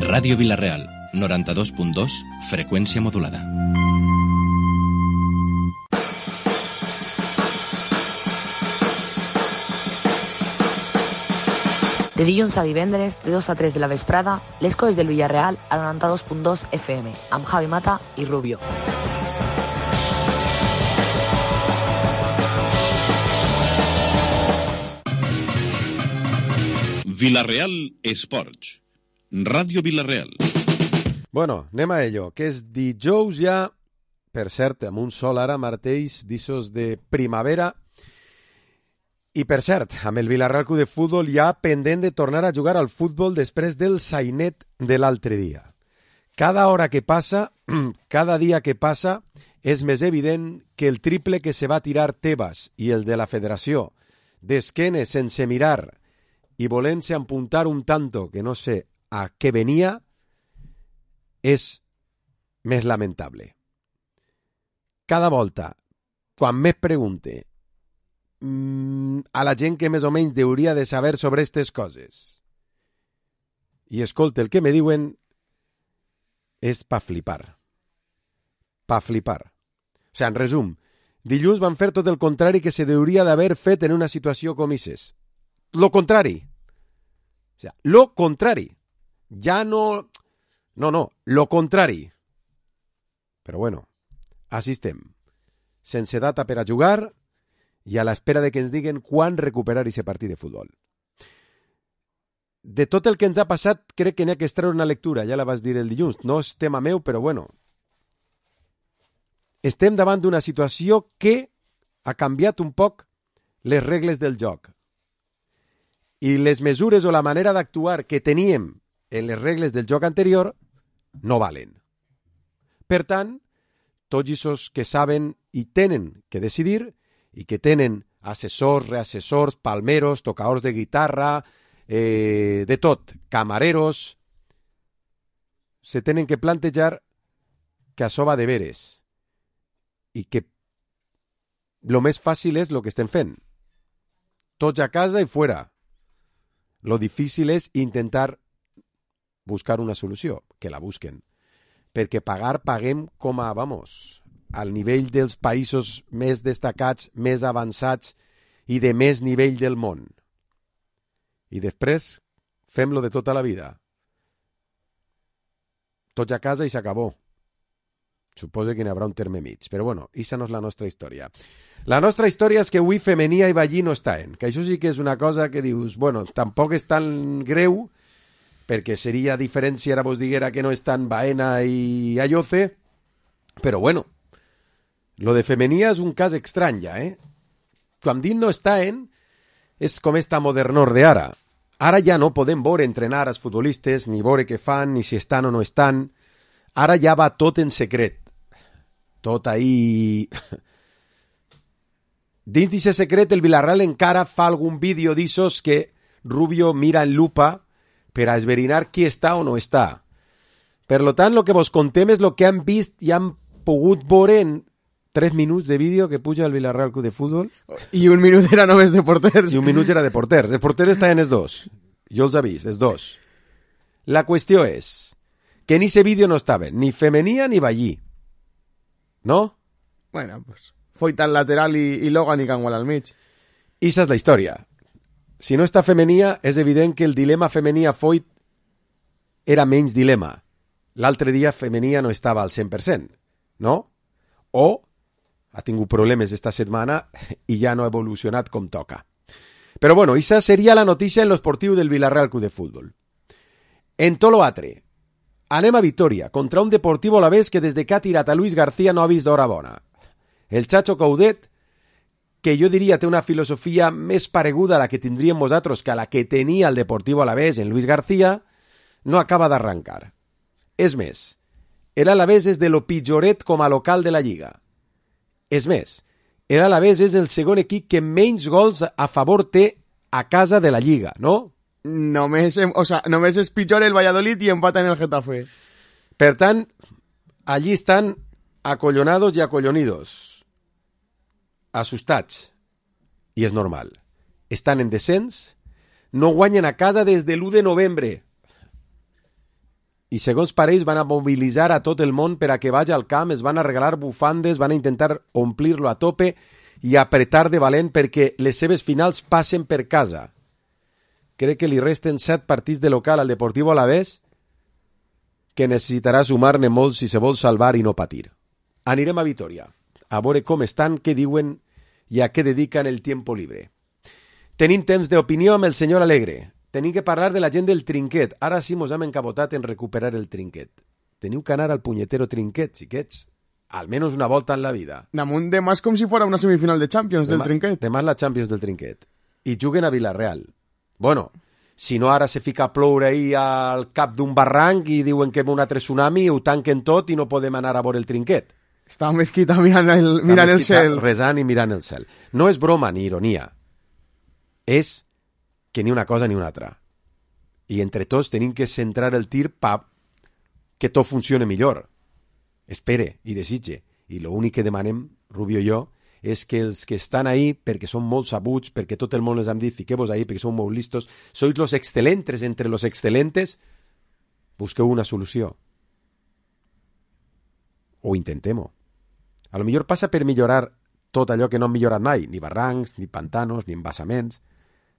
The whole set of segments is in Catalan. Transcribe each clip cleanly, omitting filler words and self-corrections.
Ràdio Vila-real, 92.2, freqüència modulada. De dilluns a divendres, de 2 a 3 de la vesprada, les coses del Villarreal a 92.2 FM, amb Javi Mata i Rubio. Vila-real Esports. Ràdio Vila-real. Bueno, anem a ello, que és dijous ja, per cert, amb un sol ara marteix d'issos de primavera. I per cert, amb el Vila-real Club de Futbol ja pendent de tornar a jugar al futbol després del sainet de l'altre dia. Cada hora que passa, cada dia que passa, és més evident que el triple que se va tirar Tebas i el de la federació, d'esquenes sense mirar i volent-se apuntar un tanto que no sé a què venia, és més lamentable. Cada volta, quan més pregunte a la gent que més o menys hauria de saber sobre aquestes coses i escolta el que me diuen, és pa flipar. Pa flipar. O sigui, en resum, dilluns van fer tot el contrari que se hauria d'haver fet en una situació com aquestes. Lo contrari. O sigui, lo contrari. Ja no... No, lo contrari. Però bueno, així estem. Sense data per a jugar i a l'espera de que ens diguen quan recuperar aquest partit de futbol. De tot el que ens ha passat, crec que n'hi ha que extreure una lectura, ja la vas dir el dilluns. No és tema meu, però bueno. Estem davant d'una situació que ha canviat un poc les regles del joc. I les mesures o la manera d'actuar que teníem en les regles del joc anterior no valen. Per tant, tots aquests que saben i tenen que decidir i que tenen assessors, reassessors, palmeros, tocadors de guitarra, de tot, camareros, se tenen que plantejar que això va de veres i que lo més fàcil és lo que estem fent. Tots a casa i fuera. Lo difícil és intentar buscar una solució, que la busquen. Perquè paguem com a, al nivell dels països més destacats, més avançats i de més nivell del món. I després fem-lo de tota la vida. Tots a casa i s'acabó. Suposo que n'hi haurà un terme mig. Però bueno, aquesta no és la nostra història. La nostra història és que avui Femenia i Ballí no estaven. Que això sí que és una cosa que dius, bueno, tampoc és tan greu, perquè seria diferent si ara vos diguera que no estan Baena i Ayoce, però bueno, lo de Femenia és un cas estrany ja, Quan dic no estaven, és com esta modernor d'ara. Ara ja no podem veure entrenar als futbolistes, ni veure què fan, ni si estan o no estan. Ara ja va tot en secret. Tot ahí... Dins d'aquest secret, el Villarreal encara fa algun vídeo d'issos que Rubio mira en lupa per a esverinar qui està o no està. Per tant, el que vos contem és el que han vist i han pogut veure en 3 minuts de vídeo que puja el Villarreal Club de Futbol. I un minut era només de porters. I un minut era de porters. Els porters estaven els dos. Jo els he vist, els dos. La qüestió és que en ese vídeo no estaven ni Femenia ni Ballí. ¿No? Bueno, pues Foyt al lateral i Logan i Cangual al mig. I esa és la història. Si no està Femenia, és evident que el dilema Femenia-Foyt era menys dilema. L'altre dia Femenia no estava al 100%, no? O ha tingut problemes esta setmana i ja no ha evolucionat com toca. Però bueno, esa seria la notícia en l'esportiu del Villarreal Club de Futbol. En tot l'altre, anem a Vitoria, contra un Deportivo Alavés que des de que ha tirat a Luis García no ha vist d'hora bona. El Chacho Coudet, que jo diria té una filosofia més pareguda a la que tindríem vosaltres que a la que tenia el Deportivo Alavés en Luis García, no acaba d'arrencar. És més, l'Alavés és de lo pitjoret com a local de la Lliga. És més, l'Alavés és el segon equip que menys gols a favor té a casa de la Lliga, no? Només és pitjor el Valladolid i empata en el Getafe. Per tant, allí estan acollonados i acollonidos, assustats, i és normal. Estan en descens, no guanyen a casa des de l'1 de novembre. I segons pareix van a mobilitzar a tot el món per a que vagi al camp, es van a regalar bufandes, van a intentar omplir-lo a tope i apretar de valent perquè les seves finals passen per casa. Crec que li resten 7 partits de local al Deportivo Alavés que necessitarà sumar-ne molts si se vol salvar i no patir. Anirem a Vitoria, a veure com estan, què diuen i a què dediquen el tiempo libre. Tenim temps d'opinió amb el senyor Alegre. Tenim que parlar de la gent del trinquet. Ara sí mos hem encabotat en recuperar el trinquet. Teniu que anar al punyetero trinquet, xiquets. Almenys una volta en la vida. Damunt demà és com si fos una semifinal de Champions del trinquet. Demà és la Champions del trinquet. I juguen a Villarreal. Bueno, si no ara se fica a ploure ahí al cap d'un barranc i diuen que ve un altre tsunami, ho tanquen tot i no podem anar a veure el trinquet. Està Mezquita mirant el cel. Resant i mirant el cel. No és broma ni ironia. És que ni una cosa ni una altra. I entre tots tenim que centrar el tir per que tot funcione millor. Espere i desitge. I l'únic que demanem, Rubio i jo, és que els que estan ahí, perquè són molt sabuts, perquè tot el món els hem dit, fiqueu-vos ahí, perquè són molt listos, sois los excelentes entre los excelentes, busqueu una solució. O intentem-ho. A lo millor passa per millorar tot allò que no han millorat mai, ni barrancs, ni pantanos, ni embassaments,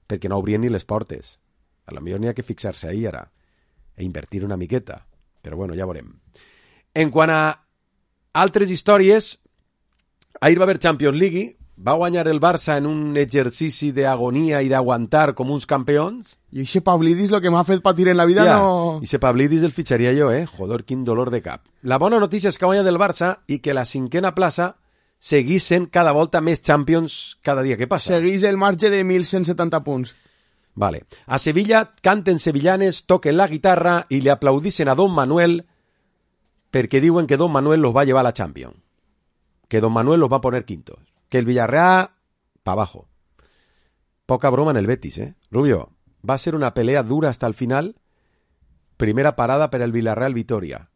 perquè no obrien ni les portes. A lo millor n'hi ha que fixar-se ahí ara e invertir una miqueta. Però bueno, ja veurem. En quant a altres històries, ahir va haver Champions League, va guanyar el Barça en un exercici d'agonia i d'aguantar com uns campions. I aquest Pavlidis, lo que m'ha fet patir en la vida, no... I ese Pavlidis el fitxaria jo, Joder, quin dolor de cap. La bona notícia és que ha guanyat el Barça i que la 5a plaça seguís sent cada volta més Champions cada dia que passa. Seguís el marge de 1.170 punts. Vale. A Sevilla canten sevillanes, toquen la guitarra i li aplaudissin a Don Manuel perquè diuen que Don Manuel los va llevar a la Champions. Que Don Manuel los va a poner quintos. Que el Villarreal, pa' abajo. Poca broma en el Betis, Rubio, va a ser una pelea dura hasta el final. Primera parada per el Villarreal Vitoria.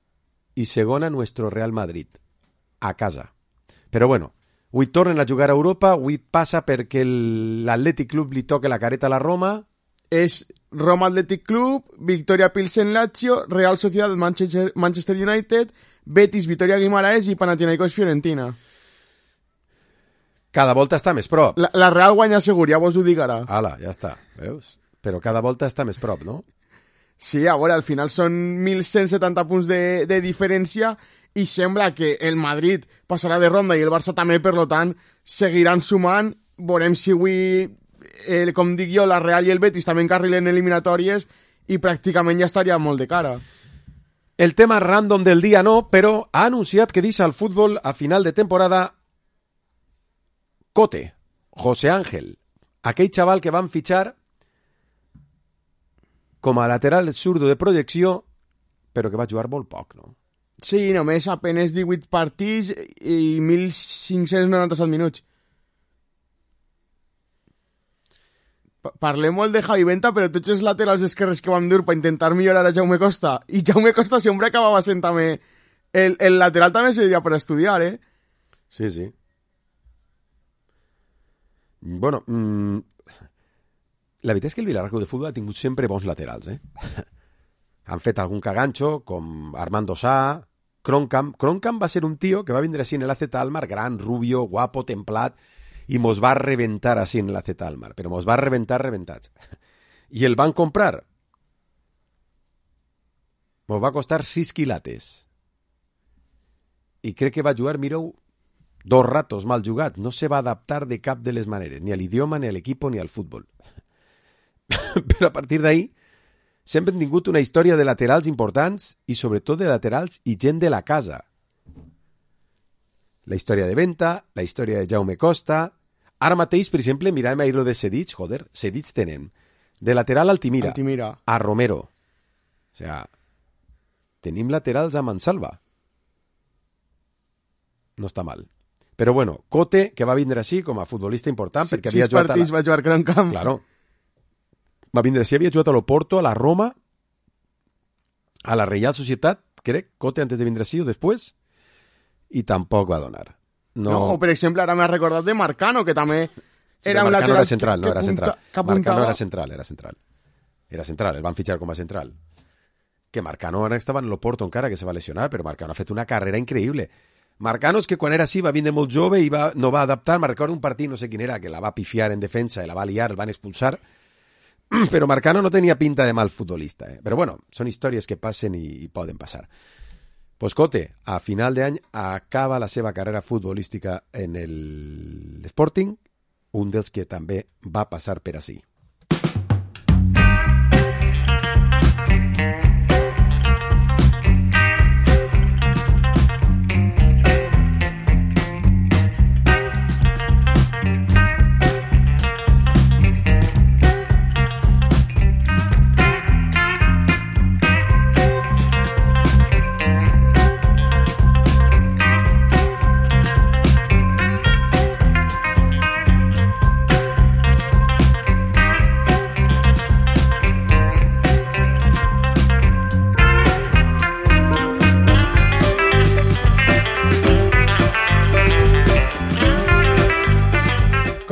I segona nuestro Real Madrid. A casa. Però bueno, avui tornen a jugar a Europa, avui passa perquè l'Atlètic Club li toca la careta a la Roma. És Roma Athletic Club, Victoria Pilsen Lazio, Real Sociedad Manchester United, Betis Vitoria Guimaraes i Panathinaikos Fiorentina. Cada volta està més prop. La Real guanya segur, ja vos ho dic ara. Ala, ja està, veus? Però cada volta està més prop, no? Sí, a veure, al final són 1.170 punts de diferència i sembla que el Madrid passarà de ronda i el Barça també, per tant, seguiran sumant. Veurem si avui, com dic jo, la Real i el Betis també encarrilen eliminatòries i pràcticament ja estaria molt de cara. El tema random del dia no, però ha anunciat que deixa el futbol a final de temporada Cote, José Ángel, aquell xaval que van fitxar com a lateral zurdo de projecció, però que va jugar molt poc, no? Sí, només apenas 18 partits i 1.597 minuts. Parlem molt de Javi Venta, però tots els laterals esquerres que vam dur per intentar millorar a Jaume Costa, i Jaume Costa sempre acabava sent també... El lateral també seria per estudiar, Sí, sí. Bueno, la veritat és que el Villarreal de Futbol ha tingut sempre bons laterals, Han fet algun caganxo, com Armando Sá, Kroenkamp. Kroenkamp va ser un tio que va vindre així en l'AZ Alkmaar, gran, rubio, guapo, templat, i mos va reventar així en l'AZ Alkmaar, però mos va reventar reventats. I el van comprar. Mos va costar 6 quilates. I crec que va jugar, mireu, 2 ratos mal jugats. No se va adaptar de cap de les maneres, ni a l'idioma, ni a l'equip, ni al futbol. Però a partir d'ahí sempre han tingut una història de laterals importants i sobretot de laterals i gent de la casa. La història de Venta, la història de Jaume Costa. Ara mateix, per exemple, mirem ahir lo de Sedic, joder, Sedic tenen de lateral Altimira, a Romero. O sea, tenim laterals a Mansalva. No està mal. Però bueno, Cote, que va vindre així com a futbolista important, perquè havia jugat... 6 partits va jugar Kroenkamp. Claro. Va vindre així, havia jugat a l'Oporto, a la Roma, a la Real Societat, crec, Cote antes de vindre així o després, i tampoc va donar. No, per exemple, ara m'ha recordat de Marcano, que també Era un Marcano lateral era central, no que era central. apuntava. Marcano era central. Era central, el van fitxar com a central. Que Marcano ara estava en l'Oporto encara, que se va lesionar, però Marcano ha fet una carrera increïble. Marcano és que quan era així va vindre molt jove i no va adaptar. Me recordo un partit, no sé quin era, que la va pifiar en defensa i la va liar, el van expulsar. Però Marcano no tenia pinta de mal futbolista. Però bueno, són històries que passen i poden passar. Pues Cote, a final d'any acaba la seva carrera futbolística en el Sporting, un dels que també va passar per ací.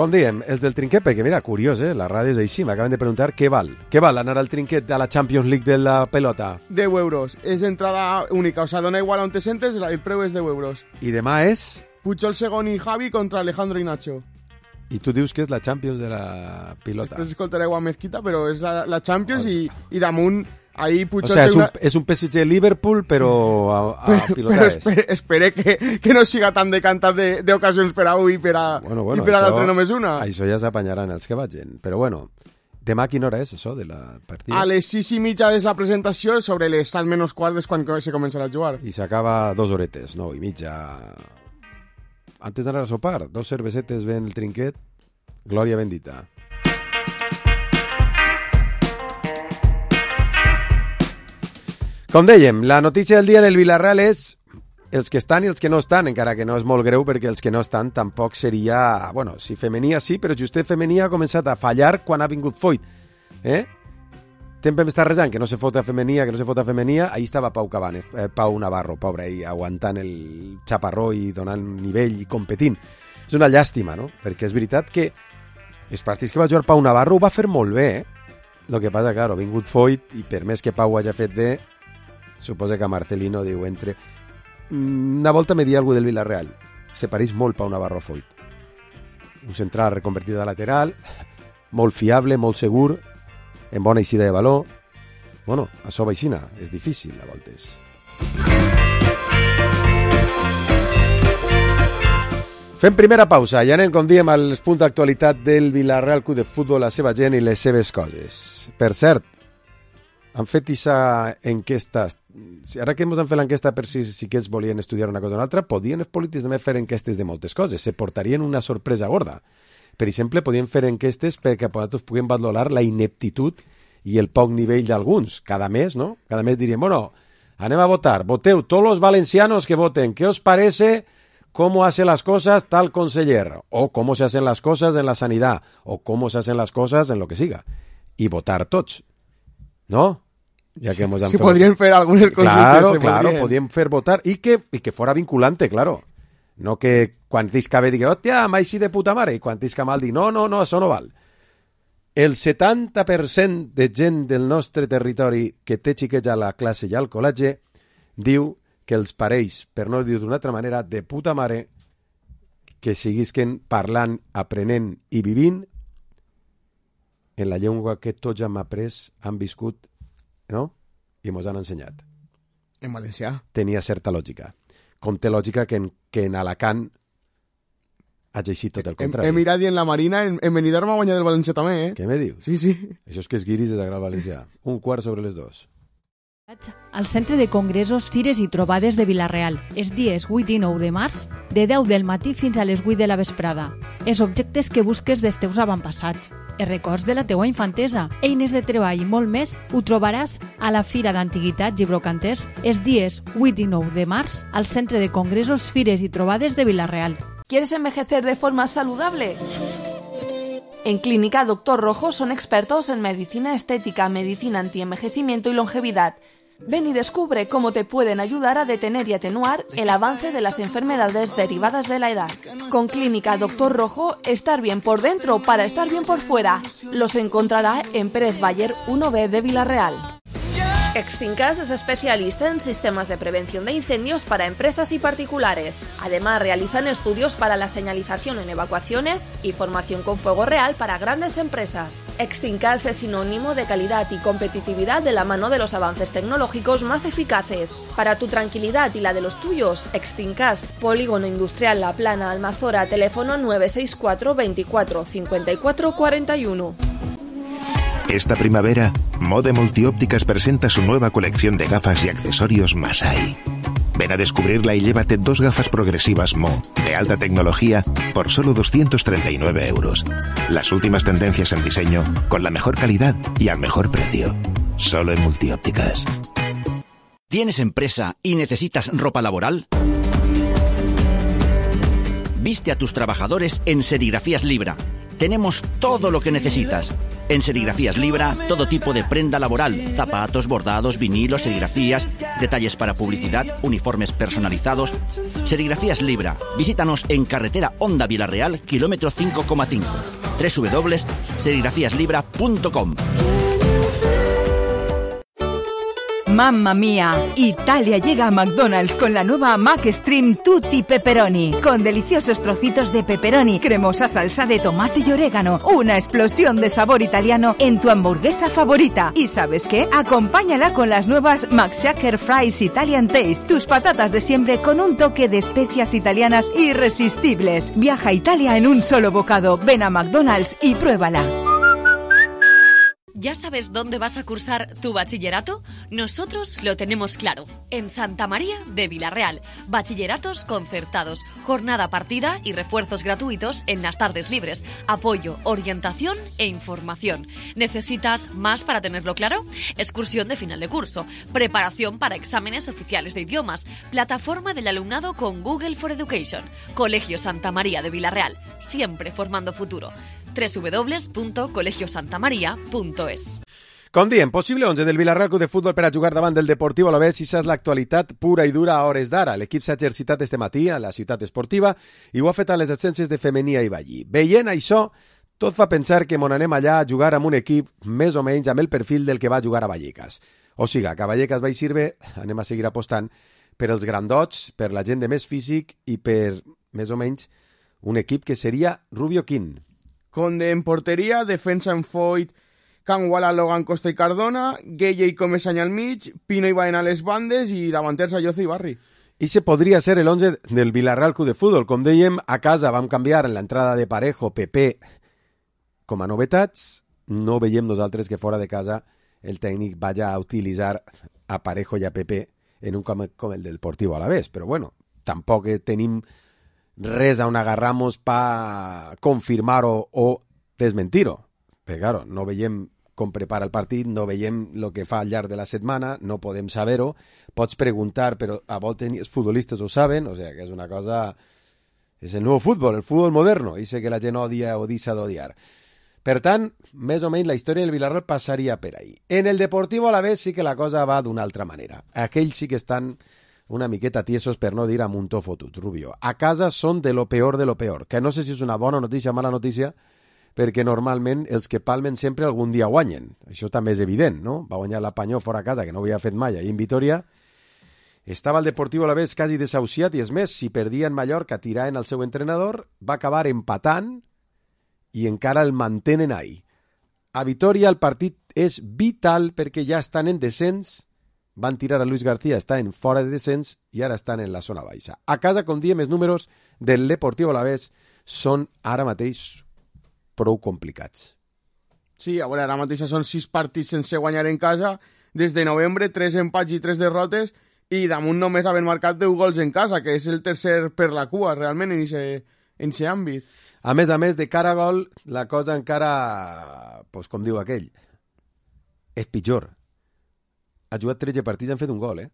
Com diem, els del trinquet, perquè mira, curiós, la ràdio és així, m'acaben de preguntar què val anar al trinquet a la Champions League de la pelota. 10 euros, és entrada única, o sea, dona igual on te sentes, el preu és 10 euros. I demà és? Pujol Segon i Javi contra Alejandro i Nacho. I tu dius que és la Champions de la pilota. Després escoltareu a Mezquita, però és la Champions i damunt ahí Pujol... O sea, és un PSG-Liverpool, però a pilota però espere que no siga tan decantat d'ocasions per a un i per a l'altre només una. Això ja s'apanyaran els que vagin. Però bueno, demà a quina hora és això de la partida? A les 6:30 és la presentació, sobre les 7:15 és quan se començarà a jugar. I s'acaba 2 horetes, 9:30. Antes d'anar a sopar, 2 cervesetes ben el trinquet, glòria bendita. Com dèiem, la notícia del dia en el Villarreal és els que estan i els que no estan, encara que no és molt greu perquè els que no estan tampoc seria... Bueno, si femenia sí, però justet femenia ha començat a fallar quan ha vingut Foyt. Sempre m'està resant que no se fota femenia, ahí estava Pau Navarro, pobre, ahí, aguantant el xaparró i donant nivell i competint. És una llàstima, no? Perquè és veritat que els partits que va jugar Pau Navarro ho va fer molt bé, El que passa, claro, ha vingut Foyt i per més que Pau hagi fet bé, suposa que Marcelino diu entre... Una volta me dia algú del Villarreal, se pareix molt Pau Navarro a Foyt. Un central reconvertit a lateral, molt fiable, molt segur, en bona eixida de valor. Bueno, això vaixina, és difícil a voltes. Fem primera pausa i anem, com diem, als punts d'actualitat del Villarreal Club de Futbol, la seva gent i les seves coses. Per cert, han fet aquesta enquesta, ara que ens han fet l'enquesta per si que volien estudiar una cosa o una altra, podien els polítics també fer enquestes de moltes coses, se portarien una sorpresa gorda. Per exemple, podien fer enquestes perquè nosaltres puguem valorar la ineptitud i el poc nivell d'alguns, cada mes, ¿no? Cada mes diríem, bueno, anem a votar, voteu tots los valencianos que voten, ¿qué os parece cómo hace las cosas tal conseller? O cómo se hacen las cosas en la sanidad, o cómo se hacen las cosas en lo que siga. Y votar tots, ¿no? Ya que hemos si podrían fer algunes coses. Claro, podrían fer votar y que fuera vinculante, claro. No que quan tisca bé digui, hòstia, mai sí de puta mare, i quan tisca mal digui, no, això no val. El 70% de gent del nostre territori que té xiquets a la classe i al col·legi diu que els pareix, per no dir d'una altra manera, de puta mare que siguisquen parlant, aprenent i vivint en la llengua que tots hem après, han viscut, no? I mos han ensenyat. En valencià. Tenia certa lògica. Com té lògica que en Alacant hagi eixit tot el contrari. He mirat i en la Marina, en Benidorm ha guanyat el València també, eh? Què me dius? Sí. Això és que es guiris de Sagrat Valencià. 1:15. Al Centre de Congressos, Fires i Trobades de Vila-real, els dies 8 i 9 de març, de 10 del matí fins a les 8 de la vesprada. Els objectes que busques dels teus avantpassats, els records de la teua infantesa, eines de treball i molt més, ho trobaràs a la Fira d'Antiguitats i Brocanters els dies 8 i 9 de març al Centre de Congressos, Fires i Trobades de Vila-real. ¿Quieres envejecer de forma saludable? En Clínica Dr. Rojo son expertos en medicina estética, medicina antienvejecimiento y longevidad. Ven y descubre cómo te pueden ayudar a detener y atenuar el avance de las enfermedades derivadas de la edad. Con Clínica Doctor Rojo, estar bien por dentro para estar bien por fuera. Los encontrará en Pérez Bayer 1B de Villarreal. Extincas es especialista en sistemas de prevención de incendios para empresas y particulares. Además, realizan estudios para la señalización en evacuaciones y formación con fuego real para grandes empresas. Extincas es sinónimo de calidad y competitividad de la mano de los avances tecnológicos más eficaces. Para tu tranquilidad y la de los tuyos, Extincas, Polígono Industrial La Plana, Almazora, teléfono 964 24 54 41. Esta primavera, Mode Multiópticas presenta su nueva colección de gafas y accesorios Masai. Ven a descubrirla y llévate 2 gafas progresivas Mo, de alta tecnología, por solo 239 euros. Las últimas tendencias en diseño, con la mejor calidad y al mejor precio. Solo en Multiópticas. ¿Tienes empresa y necesitas ropa laboral? Viste a tus trabajadores en Serigrafías Libra. Tenemos todo lo que necesitas. En Serigrafías Libra, todo tipo de prenda laboral, zapatos, bordados, vinilos, serigrafías, detalles para publicidad, uniformes personalizados. Serigrafías Libra. Visítanos en carretera Honda Villarreal, kilómetro 5,5. www.serigrafiaslibra.com. ¡Mamma mía! Italia llega a McDonald's con la nueva McStream Tutti Pepperoni, con deliciosos trocitos de pepperoni, cremosa salsa de tomate y orégano, una explosión de sabor italiano en tu hamburguesa favorita. ¿Y sabes qué? Acompáñala con las nuevas McShaker Fries Italian Taste, tus patatas de siempre con un toque de especias italianas irresistibles. Viaja a Italia en un solo bocado. Ven a McDonald's y pruébala. ¿Ya sabes dónde vas a cursar tu bachillerato? Nosotros lo tenemos claro. En Santa María de Villarreal. Bachilleratos concertados, jornada partida y refuerzos gratuitos en las tardes libres. Apoyo, orientación e información. ¿Necesitas más para tenerlo claro? Excursión de final de curso, preparación para exámenes oficiales de idiomas, plataforma del alumnado con Google for Education. Colegio Santa María de Villarreal, siempre formando futuro. www.colegiosantamaria.es. Com diem, possible 11 del Villarreal Club de Futbol per a jugar davant del Deportiu Alavés, i és l'actualitat pura i dura a hores d'ara. L'equip s'ha exercitat este matí a la ciutat esportiva i ho ha fet a les ascenses de Femenia i Vallí. Veient això, tot fa pensar que mon anem allà a jugar amb un equip més o menys amb el perfil del que va jugar a Vallecas. O sigui, que a Vallecas vaig sirve, anem a seguir apostant per els grandots, per la gent de més físic i per, més o menys, un equip que seria Rubio Quín. Conde en porteria, defensa en Foyt, Canguala, Logan, Costa i Cardona, Gueye i Comesaña al mig, Pino i Baena a les bandes i davanters Ayoce i Barri. I se podria ser el 11 del Villarreal Club de Futbol. Com dèiem, a casa vam canviar en l'entrada de Parejo, Pepe, com a novetats. No veiem nosaltres que fora de casa el tècnic vaya a utilitzar a Parejo i a Pepe en un camp com el del Deportiu Alavés. Però bueno, tampoc tenim res on agarramos pa confirmar-ho o desmentir-ho. Però claro, no veiem com prepara el partit, no veiem el que fa al llarg de la setmana, no podem saber-ho. Pots preguntar, però a voltes els futbolistes ho saben, o sigui que és una cosa... És el nou futbol, el futbol moderno, i sé que la gent odia o deixa d'odiar. Per tant, més o menys la història del Villarreal passaria per ahí. En el Deportiu Alavés sí que la cosa va d'una altra manera. Aquells sí que estan una miqueta tiesos, per no dir a muntó fotut, Rubio. A casa són de lo peor, que no sé si és una bona notícia o mala notícia, perquè normalment els que palmen sempre algun dia guanyen. Això també és evident, no? Va guanyar la Panyó fora a casa, que no ho havia fet mai, ahir en Vitoria. Estava el Deportiu Alavés quasi desahuciat, i és més, si perdia en Mallorca tiraven el seu entrenador, va acabar empatant i encara el mantenen ahí. A Vitoria el partit és vital perquè ja estan en descens, van tirar a Luis García, estan fora de descens i ara estan en la zona baixa. A casa, com diem, els números del Deportiu Alavés són ara mateix prou complicats. Sí, a veure, ara mateix són 6 partits sense guanyar en casa, des de novembre, 3 empats i 3 derrotes, i damunt només haver marcat 10 gols en casa, que és el tercer per la cua, realment, en aquest àmbit. A més de cara a gol, la cosa encara, pues, com diu aquell, és pitjor. Ha jugat 13 partits i han fet un gol,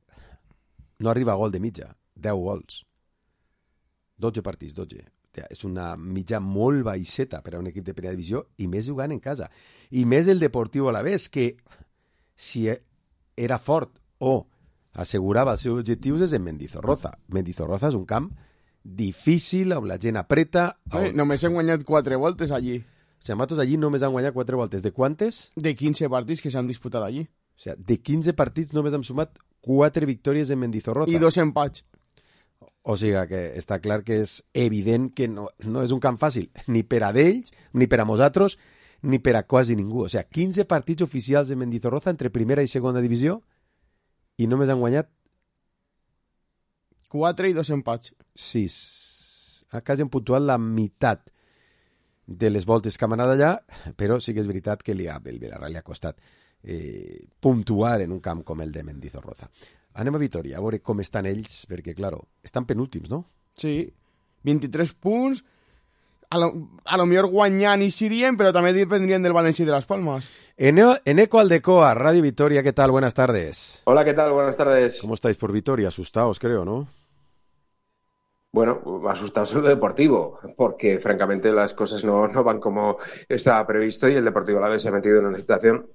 No arriba a gol de mitja, 10 gols. 12 partits, 12. És una mitja molt baixeta per a un equip de primera divisió, i més jugant en casa. I més el Deportiu Alavés, que si era fort o assegurava els seus objectius és en Mendizorroza. Mendizorroza és un camp difícil, on la gent apreta... Només hem guanyat 4 voltes allí. O sigui, nosaltres allí només han guanyat 4 voltes. De quantes? De 15 partits que s'han disputat allí. O sigui, de 15 partits només hem sumat 4 victòries en Mendizorroza. I 2 empats. O sigui que està clar que és evident que no és un camp fàcil, ni per a d'ells, ni per a nosaltres, ni per a quasi ningú. O sigui, 15 partits oficials de Mendizorroza entre primera i segona divisió i només han guanyat 4 i 2 empats. 6. Quasi han puntuat la meitat de les voltes que han anat allà, però sí que és veritat que el Villarreal li ha costat puntuar en un camp com el de Mendizorroza. Anem a Vitoria, a veure com estan ells, perquè, claro, estan penúltims, no? Sí, 23 punts, a lo millor guanyant i sirien, però també dependrien del València i de Las Palmas. Eneco Aldecoa, Radio Vitoria, ¿qué tal? Buenas tardes. Hola, ¿qué tal? Buenas tardes. ¿Cómo estáis por Vitoria? Asustados, creo, ¿no? Bueno, asustados en lo deportivo, porque francamente las cosas no van como estaba previsto y el Deportivo Alavés se ha metido en una situación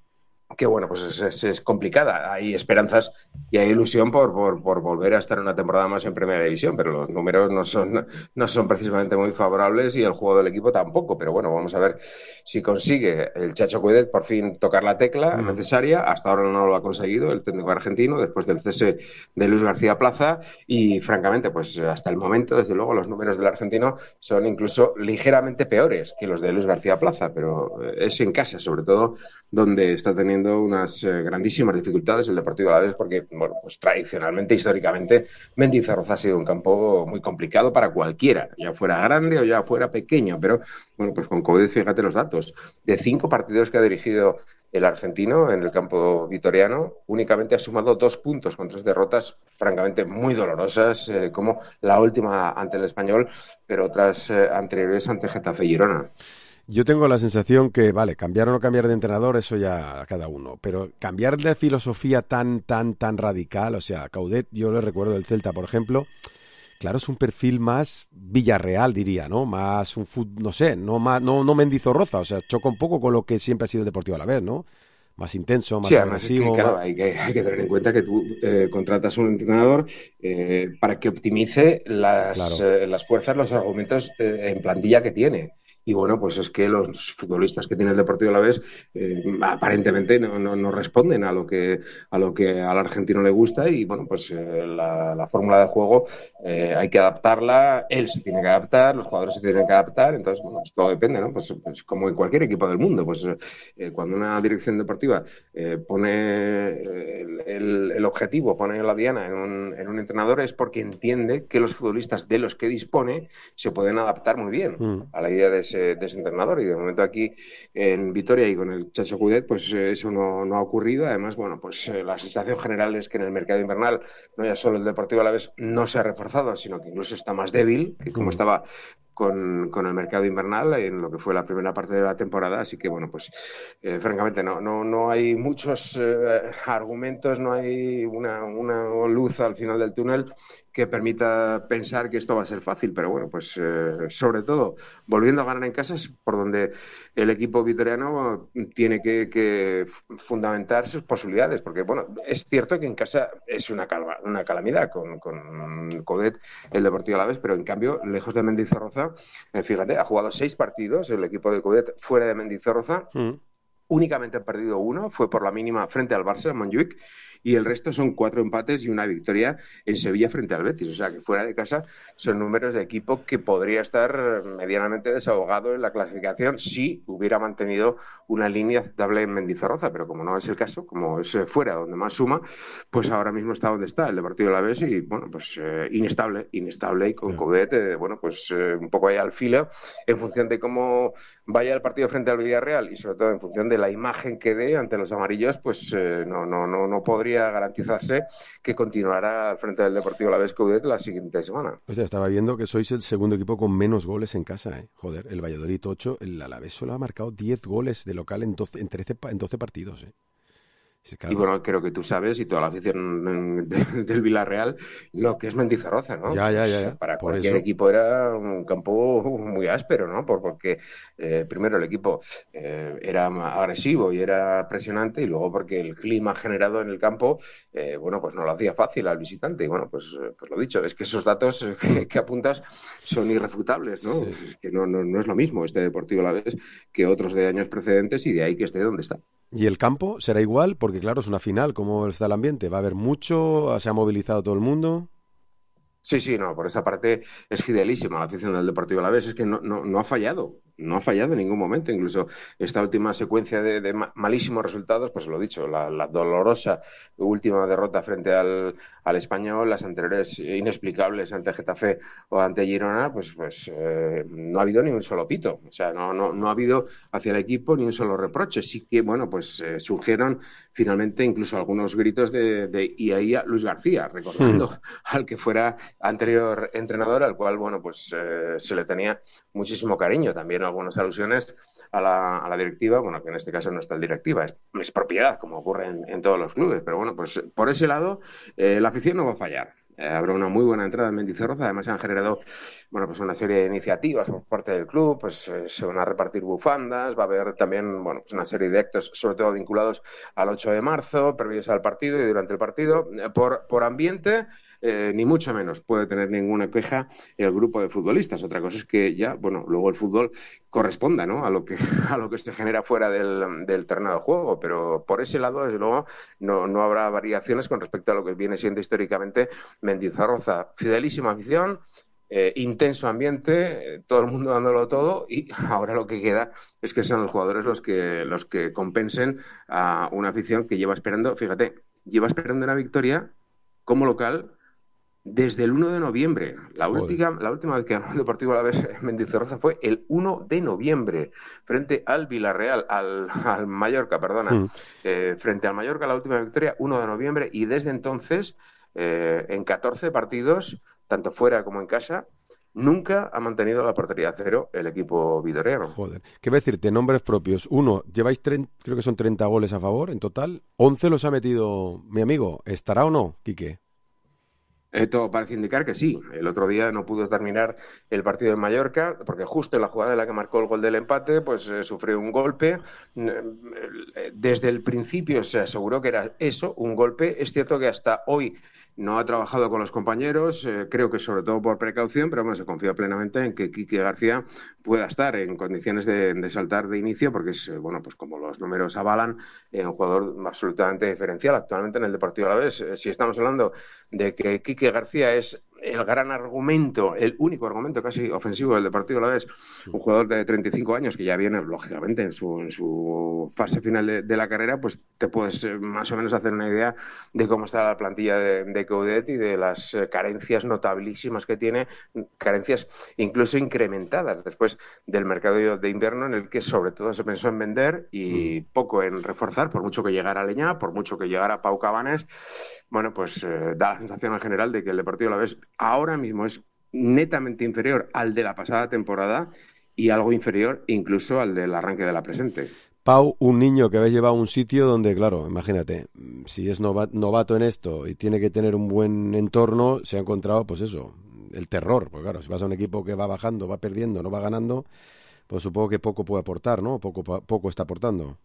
que, bueno, pues es complicada. Hay esperanzas y hay ilusión por volver a estar una temporada más en Primera División, pero los números no son precisamente muy favorables y el juego del equipo tampoco. Pero bueno, vamos a ver si consigue el Chacho Coudet por fin tocar la tecla necesaria. Hasta ahora no lo ha conseguido el técnico argentino después del cese de Luis García Plaza y, francamente, pues hasta el momento, desde luego, los números del argentino son incluso ligeramente peores que los de Luis García Plaza, pero es en casa, sobre todo, donde está teniendo unas grandísimas dificultades el Deportivo Alavés porque, bueno, pues tradicionalmente, históricamente, Mendizorroza ha sido un campo muy complicado para cualquiera, ya fuera grande o ya fuera pequeño, pero, bueno, pues con Coudet, fíjate los datos, de 5 partidos que ha dirigido el argentino en el campo vitoriano, únicamente ha sumado 2 puntos con 3 derrotas, francamente muy dolorosas, como la última ante el Español, pero otras anteriores ante Getafe y Girona. Yo tengo la sensación que, vale, cambiar o no cambiar de entrenador, eso ya a cada uno, pero cambiar de filosofía tan radical, o sea, Coudet, yo le recuerdo del Celta, por ejemplo, claro, es un perfil más Villarreal, diría, ¿no? Más un fútbol, no sé, no Mendizorroza, o sea, choca un poco con lo que siempre ha sido el Deportivo Alavés, ¿no? Más intenso, más sí, agresivo. Es que, claro, hay que tener en cuenta que tú contratas un entrenador para que optimice las fuerzas, los argumentos en plantilla que tiene. Y bueno, pues es que los futbolistas que tiene el Deportivo Alavés aparentemente no responden a lo que al argentino le gusta y bueno, pues la fórmula de juego hay que adaptarla, él se tiene que adaptar, los jugadores se tienen que adaptar, entonces bueno, pues todo depende, ¿no? Pues como en cualquier equipo del mundo, pues cuando una dirección deportiva pone el objetivo, pone la diana en un entrenador es porque entiende que los futbolistas de los que dispone se pueden adaptar muy bien a la idea de ese entrenador y de momento aquí en Vitoria y con el Chacho Coudet pues eso no ha ocurrido. Además, bueno, pues la sensación general es que en el mercado invernal no ya solo el Deportivo Alavés no se ha reforzado, sino que incluso está más débil que como estaba con el mercado invernal en lo que fue la primera parte de la temporada, así que bueno, pues francamente no hay muchos argumentos, no hay una luz al final del túnel que permita pensar que esto va a ser fácil, pero bueno, pues sobre todo volviendo a ganar en casa es por donde el equipo vitoriano tiene que fundamentar sus posibilidades, porque bueno, es cierto que en casa es una calamidad con Coudet, el Deportivo Alavés, pero en cambio, lejos de Mendizorroza, fíjate, ha jugado 6 partidos el equipo de Coudet fuera de Mendizorroza, únicamente ha perdido 1, fue por la mínima frente al Barça, en Montjuic, y el resto son 4 empates y una victoria en Sevilla frente al Betis. O sea que fuera de casa son números de equipo que podría estar medianamente desahogado en la clasificación si hubiera mantenido una línea aceptable en Mendizorroza, pero como no es el caso, como es fuera donde más suma, pues ahora mismo está donde está el Deportivo Alavés y bueno, pues inestable y con Coudet, bueno, pues un poco ahí al filo en función de cómo vaya el partido frente al Villarreal y sobre todo en función de la imagen que dé ante los amarillos, pues no podría garantizarse que continuará al frente del Deportivo Alavés Coudet la siguiente semana. O sea, estaba viendo que sois el segundo equipo con menos goles en casa, ¿eh? Joder, el Valladolid 8, el Alavés solo ha marcado 10 goles de local en 12 partidos, ¿eh? Sí, claro. Y bueno, creo que tú sabes, y toda la afición del Villarreal, lo que es Mendizorroza, ¿no? Ya. Para Por cualquier eso. equipo era un campo muy áspero, ¿no? Porque primero el equipo era agresivo y era presionante, y luego porque el clima generado en el campo, bueno, pues no lo hacía fácil al visitante. Y bueno, pues lo dicho, es que esos datos que apuntas son irrefutables, ¿no? Sí. Es que no es lo mismo este Deportivo Alavés que otros de años precedentes, y de ahí que esté donde está. ¿Y el campo será igual? Porque claro, es una final. ¿Cómo está el ambiente? ¿Va a haber mucho? ¿Se ha movilizado todo el mundo? Sí, no, por esa parte es fidelísima la afición del Deportivo Alavés, es que no ha fallado, no ha fallado en ningún momento, incluso esta última secuencia de malísimos resultados, pues lo dicho, la dolorosa última derrota frente al Español, las anteriores inexplicables ante Getafe o ante Girona, pues no ha habido ni un solo pito, o sea, no ha habido hacia el equipo ni un solo reproche, sí que, bueno, pues surgieron finalmente incluso algunos gritos de Iaia Luis García, recordando al que fuera anterior entrenador, al cual, bueno, pues se le tenía muchísimo cariño. También algunas alusiones a la directiva, bueno, que en este caso no es tal directiva, es propiedad, como ocurre en todos los clubes. Pero bueno, pues por ese lado, la afición no va a fallar. Habrá una muy buena entrada en Mendizorroza. Además, se han generado, bueno, pues una serie de iniciativas por parte del club. Pues se van a repartir bufandas. Va a haber también, bueno, pues una serie de actos, sobre todo vinculados al 8 de marzo, previos al partido y durante el partido. Por ambiente, ni mucho menos puede tener ninguna queja el grupo de futbolistas. Otra cosa es que ya, bueno, luego el fútbol corresponda, ¿no?, a lo que se genera fuera del terreno de juego, pero por ese lado, desde luego, no habrá variaciones con respecto a lo que viene siendo históricamente Mendizorroza. Fidelísima afición, intenso ambiente, todo el mundo dándolo todo, y ahora lo que queda es que sean los jugadores los que compensen a una afición que lleva esperando una victoria como local desde el 1 de noviembre. La última vez que ganó el Deportivo Alavés Mendizorroza fue el 1 de noviembre, frente al Villarreal, al Mallorca, perdona. Frente al Mallorca, la última victoria, 1 de noviembre, y desde entonces, en 14 partidos, tanto fuera como en casa, nunca ha mantenido la portería a cero el equipo vitoriano. Joder, ¿qué voy a decirte? Nombres propios. Uno, lleváis creo que son 30 goles a favor en total. 11 los ha metido mi amigo. ¿Estará o no, Quique? Todo parece indicar que sí. El otro día no pudo terminar el partido en Mallorca porque justo en la jugada en la que marcó el gol del empate, pues sufrió un golpe. Desde el principio se aseguró que era eso, un golpe. Es cierto que hasta hoy no ha trabajado con los compañeros, creo que sobre todo por precaución, pero bueno, se confía plenamente en que Quique García pueda estar en condiciones de saltar de inicio, porque es, bueno, pues como los números avalan, un jugador absolutamente diferencial actualmente en el Deportivo Alavés. Si estamos hablando de que Quique García es el gran argumento, el único argumento casi ofensivo del Deportivo Alavés, un jugador de 35 años que ya viene, lógicamente, en su fase final de la carrera, pues te puedes más o menos hacer una idea de cómo está la plantilla de Coudet y de las carencias notabilísimas que tiene, carencias incluso incrementadas después del mercado de invierno, en el que sobre todo se pensó en vender y poco en reforzar, por mucho que llegara Leñá, por mucho que llegara Pau Cabanes. Bueno, pues da la sensación en general de que el Deportivo Alavés ahora mismo es netamente inferior al de la pasada temporada y algo inferior incluso al del arranque de la presente. Pau, un niño que habéis llevado a un sitio donde, claro, imagínate, si es novato en esto y tiene que tener un buen entorno, se ha encontrado, pues eso, el terror. Pues claro, si vas a un equipo que va bajando, va perdiendo, no va ganando, pues supongo que poco puede aportar, ¿no? Poco está aportando.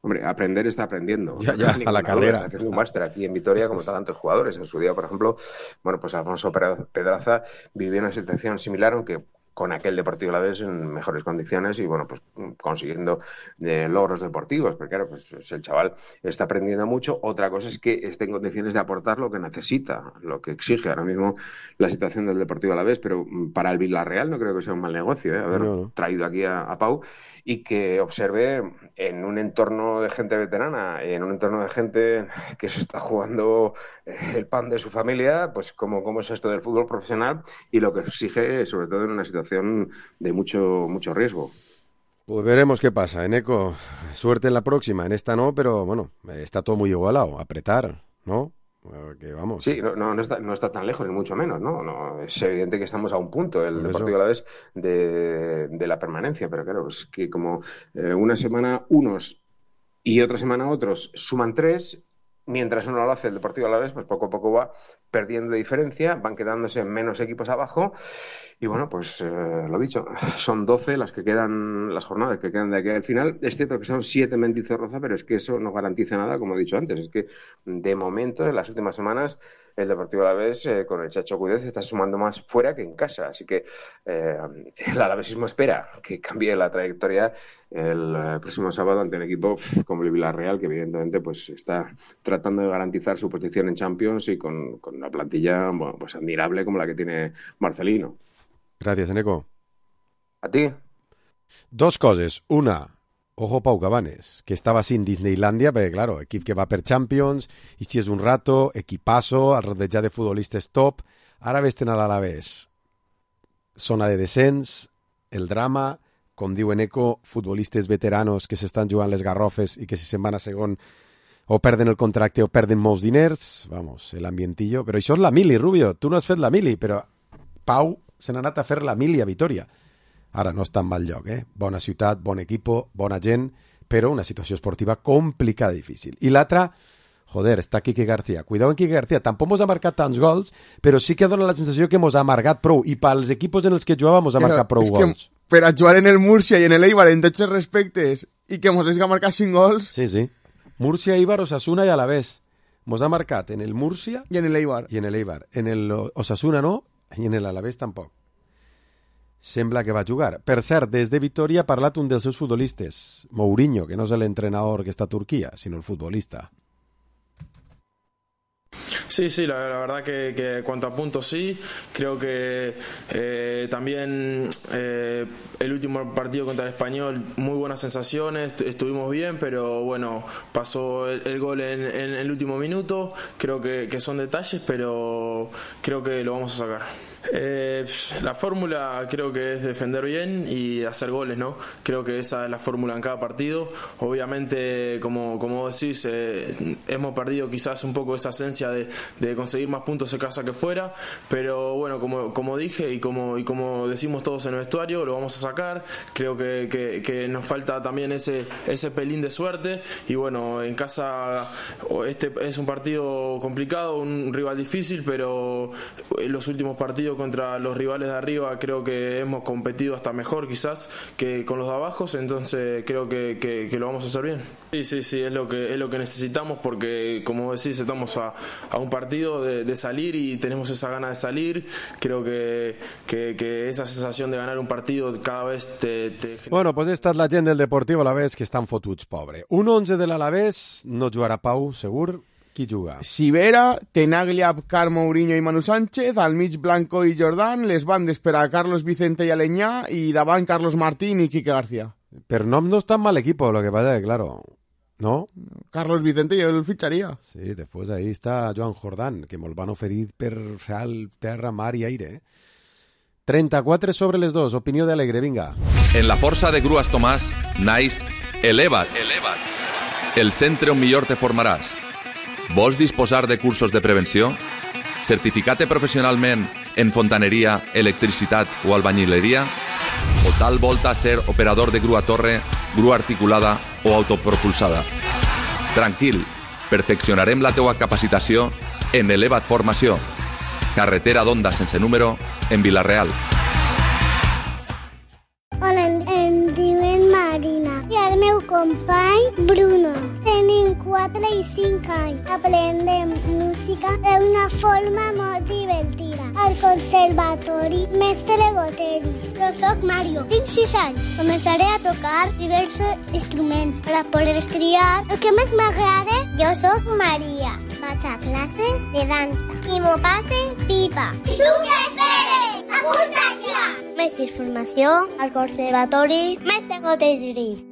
Hombre, aprender está aprendiendo. Ya, a la carrera. Está haciendo un máster aquí en Vitoria como tantos jugadores. En su día, por ejemplo, bueno, pues Alfonso Pedraza vivió una situación similar, aunque con aquel Deportivo Alavés en mejores condiciones y, bueno, pues consiguiendo logros deportivos. Porque claro, pues el chaval está aprendiendo mucho. Otra cosa es que esté en condiciones de aportar lo que necesita, lo que exige ahora mismo la situación del Deportivo Alavés. Pero para el Villarreal no creo que sea un mal negocio, haber traído aquí a Pau, y que observe en un entorno de gente veterana, en un entorno de gente que se está jugando el pan de su familia, pues cómo es esto del fútbol profesional y lo que exige, sobre todo en una situación de mucho riesgo. Pues veremos qué pasa, Eneco. Suerte en la próxima, en esta no, pero bueno, está todo muy igualado, apretar, ¿no? Que vamos. Sí, no está tan lejos, ni mucho menos, ¿no? Es evidente que estamos a un punto, el Deportivo Alavés, de la permanencia, pero claro, es que como una semana unos y otra semana otros suman 3, mientras uno lo hace el Deportivo Alavés, pues poco a poco va perdiendo diferencia, van quedándose menos equipos abajo. Y bueno, pues lo dicho, son 12 las jornadas que quedan de aquí al final. Es cierto que son 7 Mendizorroza, pero es que eso no garantiza nada, como he dicho antes. Es que de momento, en las últimas semanas, el Deportivo Alavés con el Chacho Cuidez está sumando más fuera que en casa. Así que el alavesismo espera que cambie la trayectoria el próximo sábado ante un equipo como el Villarreal, que evidentemente pues está tratando de garantizar su posición en Champions y con una plantilla pues admirable como la que tiene Marcelino. Gràcies, Eneco. A ti. 2 coses. Una, ojo Pau Cabanes, que estava sin Disneylandia, perquè, claro, equip que va per Champions, i si és un rato, equipasso, al rodejat de futbolistes top, ara ves-te'n a l'Alavés. Zona de descens, el drama, com diu Eneco, futbolistes veteranos que s'estan jugant les garrofes i que si se'n van a segon o perden el contracte o perden molts diners, vamos, l'ambientillo. Però això és la mili, Rubio, tu no has fet la mili, però Pau se n'ha anat a fer la mili a Vitoria. Ara no està en mal lloc, Bona ciutat, bon equipo, bona gent, però una situació esportiva complicada i difícil. I l'altra, joder, està Quique García. Cuidado en Quique García. Tampoc mos ha marcat tants gols, però sí que dona la sensació que mos ha marcat prou. I pels equipos en els que jugava mos ha marcat prou gols. Per a jugar en el Múrcia i en el Eibar en tots els respectes i que mos hagi marcat 5 gols... Sí. Múrcia, Eibar, Osasuna i Alavés. Mos ha marcat en el Múrcia... I en el Eibar. En el Osasuna no, i en l'Alavés tampoc. Sembla que va jugar. Per cert, des de Vitoria ha parlat un dels seus futbolistes, Mourinho, que no és l'entrenador que està a Turquia, sinó el futbolista. Sí, la verdad que cuanto a puntos sí, creo que también el último partido contra el Español, muy buenas sensaciones, estuvimos bien, pero bueno, pasó el gol en el último minuto, creo que son detalles, pero creo que lo vamos a sacar. La fórmula creo que es defender bien y hacer goles, ¿no? Creo que esa es la fórmula en cada partido. Obviamente, como decís, hemos perdido quizás un poco esa esencia de conseguir más puntos en casa que fuera, pero bueno, como dije y como decimos todos en el vestuario, lo vamos a sacar. Creo que nos falta también ese pelín de suerte y bueno, en casa este es un partido complicado, un rival difícil, pero en los últimos partidos contra los rivales de arriba creo que hemos competido hasta mejor quizás que con los de abajo, entonces creo que lo vamos a hacer bien. Sí, es lo que necesitamos porque como decís estamos a un partido de salir y tenemos esa gana de salir. Creo que esa sensación de ganar un partido cada vez te... Bueno, pues esta és la gent del Deportivo Alavés que estan fotuts, pobre. Un 11 de l'Alavés no jugarà Pau, segur. Qui juga? Sivera, Tenaglia, Abkar, Mourinho i Manu Sánchez, al mig Blanco i Jordán, les bandes per a Carlos Vicente i Aleñá i davant Carlos Martín i Quique García. Per nom no és tan mal equipo, lo que pasa que, claro, ¿no? Carlos Vicente yo el ficharía. Sí, después ahí está Joan Jordán, que me'l van oferir per real, terra, mar i aire. 34 sobre les 2, opinió d'Alegre, vinga. En la força de Grues Tomàs naix Eleva't. El centre on millor te formaràs. Vols disposar de cursos de prevenció? Certificat professionalment en fontaneria, electricitat o albañileria? O tal volta ser operador de grua torre, grua articulada o autopropulsada? Tranquil, perfeccionarem la teua capacitació en Eleva't Formació. Carretera d'Onda sense número en Vila-real. Hola, em diuen Marina i el meu company Bruno. Tenim 4 i 5 anys. Aprendem música d'una forma molt divertida. Al conservatori Mestre Goteris. Jo soc Mario, tinc 6 anys. Començaré a tocar diversos instruments per a poder triar el que més m'agrada. Jo soc Maria. Vaig a classes de dansa i m'ho passe pipa. I tu què esperes? Apunta't ja! Més informació al conservatori Mestre Goteris.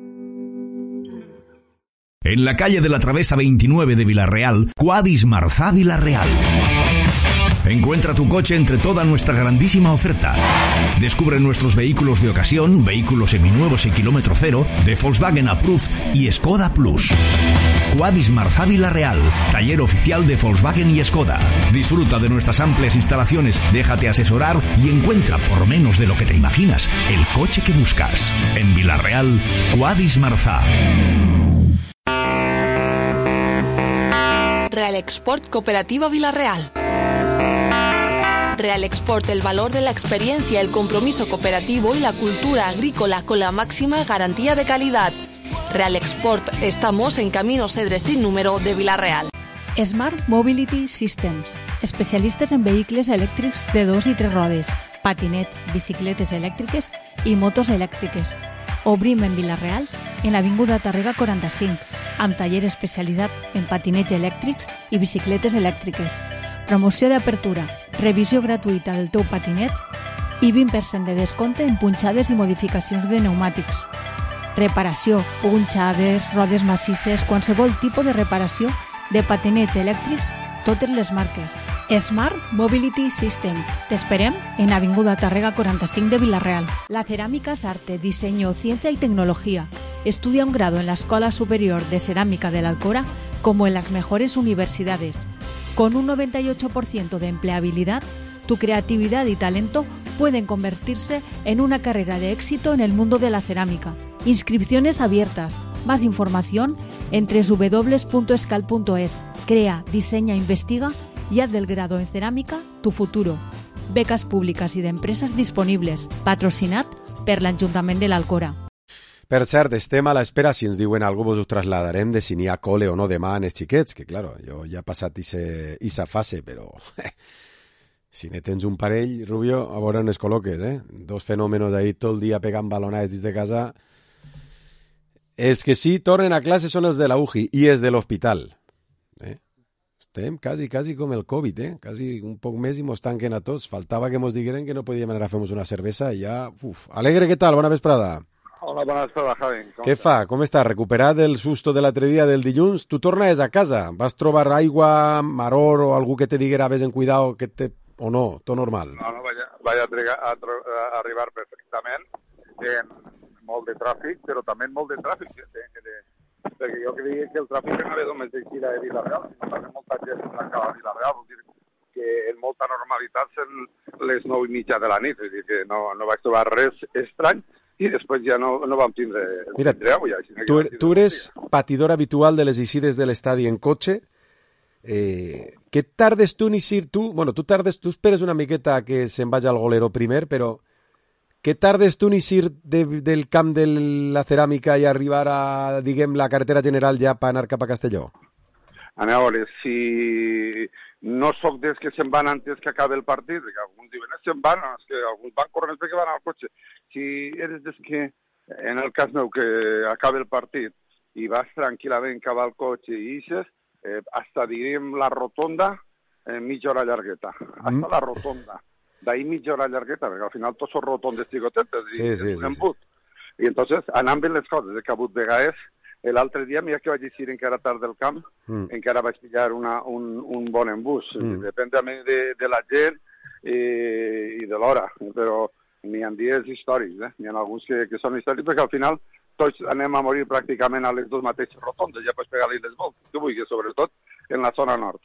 En la calle de la Travesa 29 de Vila-real, Quadis Marzà Vila-real. Encuentra tu coche entre toda nuestra grandísima oferta. Descubre nuestros vehículos de ocasión, vehículos seminuevos y kilómetro cero, de Volkswagen Approved y Skoda Plus. Quadis Marzà Vila-real, taller oficial de Volkswagen y Skoda. Disfruta de nuestras amplias instalaciones, déjate asesorar y encuentra por menos de lo que te imaginas el coche que buscas. En Vila-real, Quadis Marzà. Real Export Cooperativa Villarreal. Real Export, el valor de la experiencia, el compromiso cooperativo y la cultura agrícola con la máxima garantía de calidad. Real Export, estamos en Camino Cedres sin número de Villarreal. Smart Mobility Systems, especialistes en vehicles elèctrics de 2 i 3 rodes, patinets, bicicletes elèctriques i motos elèctriques. Obrim en Villarreal, en l'Avinguda Tàrrega 45, amb taller especialitzat en patinets elèctrics i bicicletes elèctriques. Promoció d'apertura, revisió gratuïta del teu patinet i 20% de descompte en punxades i modificacions de pneumàtics. Reparació, punxades, rodes massisses, qualsevol tipus de reparació de patinets elèctrics, totes les marques. Smart Mobility System. T'esperem en Avinguda Tàrrega 45 de Villarreal. La cerámica es arte, diseño, ciencia y tecnología. Estudia un grado en la Escuela Superior de Cerámica de la Alcora como en las mejores universidades. Con un 98% de empleabilidad, tu creatividad y talento pueden convertirse en una carrera de éxito en el mundo de la cerámica. Inscripciones abiertas. Más información en www.escal.es. Crea, diseña, investiga y haz del grado en cerámica tu futuro. Becas públiques i d'empreses disponibles. Patrocinat per l'Ajuntament de l'Alcora. Per cert, estem a l'espera, si ens diuen alguna cosa, us trasladarem de si n'hi ha cole o no demà en els xiquets, que claro, jo ja he passat esa fase, però si ne tens un parell, Rubio, a veure on es col·loques, Dos fenòmenos ahí tot el dia pegant balonades dins de casa. Els que sí tornen a classe són els de la UJI i els de l'hospital. Estem quasi com el Covid, quasi un poc més i mos tanquen a tots. Faltava que mos digueren que no podíem anar a fer-nos una cervesa i ja... Alegre, què tal? Bona vesprada. Hola, bona vesprada, Javi. Què fa? Com està? Recuperat del susto de l'altre dia del dilluns? Tu tornes a casa? Vas trobar aigua, maror o algú que te diguera vés en cuidado o no? Tot normal? No, vaig arribar perfectament en molt de tràfic, però també molt de tràfic, perquè jo creia que el tràfic anava només d'eixida de Villarreal, sinó també molta gent acaba a Villarreal, vol dir que en molta normalitat són les 9:30 de la nit, és dir, que no vaig trobar res estrany, i després ja no vam tindre aigua. Tu eres patidor habitual de les eixides de l'estadi en cotxe. Què tardes tu en eixir tu? Bueno, tu esperes una miqueta que se'n vagi al golero primer, però què tardes tu en eixir del camp de la ceràmica i arribar a, diguem, la carretera general ja per anar cap a Castelló? A veure, si no sóc dels que se'n van antes que acabi el partit, que alguns diuen se'n van, que alguns van corrents perquè van al cotxe. Si eres des que, en el cas meu, que acabi el partit i vas tranquil·lament cap al cotxe i ixes, hasta, diríem, la rotonda, mitja hora llargueta. Hasta la rotonda. D'ahí mitja hora llargueta, perquè al final tots són rotondes xicotetes i un embut. I entonces, anant bé les coses, he cabut de gaes. L'altre dia, mira que vaig eixir encara tard del camp, encara vaig pillar un bon embús. Depèn també de la gent i de l'hora, però n'hi ha dies històrics, n'hi ha alguns que són històrics, perquè al final tots anem a morir pràcticament a les dues mateixes rotondes, ja pots pegar-li les voltes, que vulguis, sobretot en la zona nord.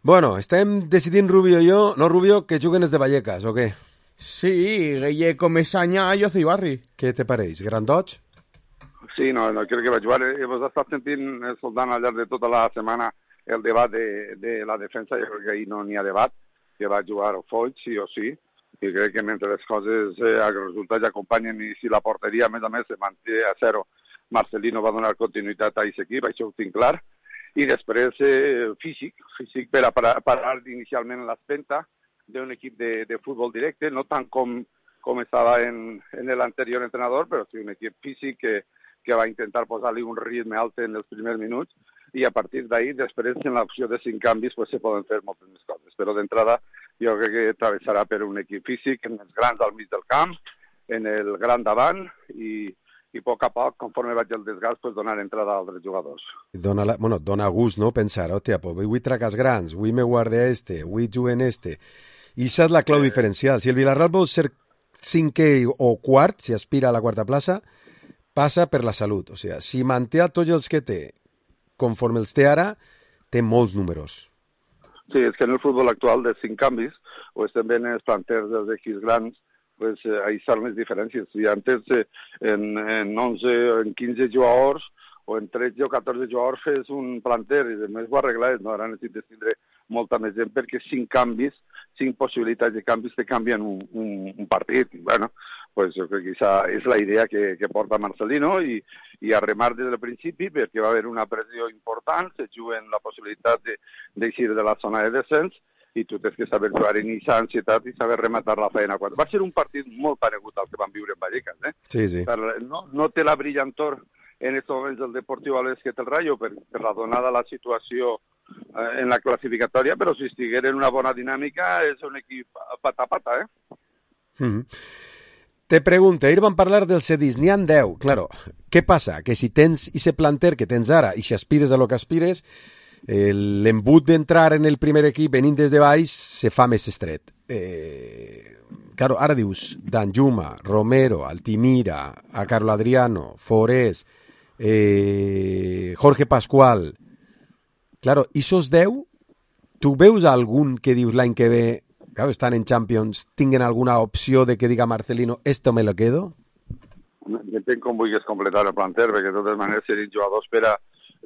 Bueno, estem decidint Rubio i jo, no Rubio, que juguen els de Vallecas, o què? Sí, Guille Comesaña i Ocibarri. Què te pareix? Grandots? Sí, no crec que vaig jugar. Hemos estat sentint, soldant al llarg de tota la setmana, el debat de la defensa. Jo crec que ahir no n'hi ha debat, que va jugar Foix, sí o sí, i crec que mentre les coses, els resultats acompanyen i si la porteria, a més, se manté a 0, Marcelino va donar continuïtat a aquest equip, això ho tinc clar, i després físic per a parar inicialment l'espenta d'un equip de futbol directe, no tant com estava en l'anterior entrenador, però sí un equip físic que va intentar posar-li un ritme alt en els primers minuts, i a partir d'ahir, després, en l'opció de 5 canvis, pues, se poden fer moltes més coses. Però d'entrada, jo crec que travessarà per un equip físic, en els grans al mig del camp, en el gran davant, i a poc a poc, conforme vaig el desgast, pues, donar entrada a altres jugadors. Dona gust, no?, pensar, hòstia, pues, vull tracar els grans, vull me guarde vull jugar en I això és la clau diferencial. Si el Villarreal vol ser 5è o quart, si aspira a la quarta plaça, passa per la salut. O sigui, si manté a tots els que té, conforme els té ara, té molts números. Sí, és que en el futbol actual de 5 canvis, o també en els planters dels equips grans, pues, ahí són les diferències. Si antes en 11 o en 15 jugadors, o en 13 o 14 jugadors fes un planter i després ho arregles, no? Ara necessites tindre molta més gent perquè 5 possibilitats de canvis te canvien un partit. I, bueno, pues jo crec que aquesta és la idea que porta Marcelino i a remar des del principi perquè va haver una pressió important, se juguen la possibilitat d'eixir de la zona de descens i tu tens que saber jugar en aquesta ansietat i saber rematar la feina. Va ser un partit molt paregut al que van viure en Vallecas. Sí. No té la brillantor en aquests moments del Deportiu Alavés que té el Rayo per la donada la situació en la classificatòria, però si estiguera en una bona dinàmica és un equip pata a pata, Te pregunto, ahir van parlar dels cedis, n'hi ha 10, claro. Què passa? Que si tens ese planter que tens ara i si aspires a lo que aspires, l'embut d'entrar en el primer equip venint des de baix se fa més estret. Claro, ara dius Danjuma, Romero, Altimira, a Carlo Adriano, Forés, Jorge Pascual. Claro, esos 10, tu veus algun que dius l'any que ve, claro, estan en Champions, tinguen alguna opció de que diga Marcelino, esto me lo quedo? Depèn com vulguis completar el planter, perquè de totes maneres serien jugadors per a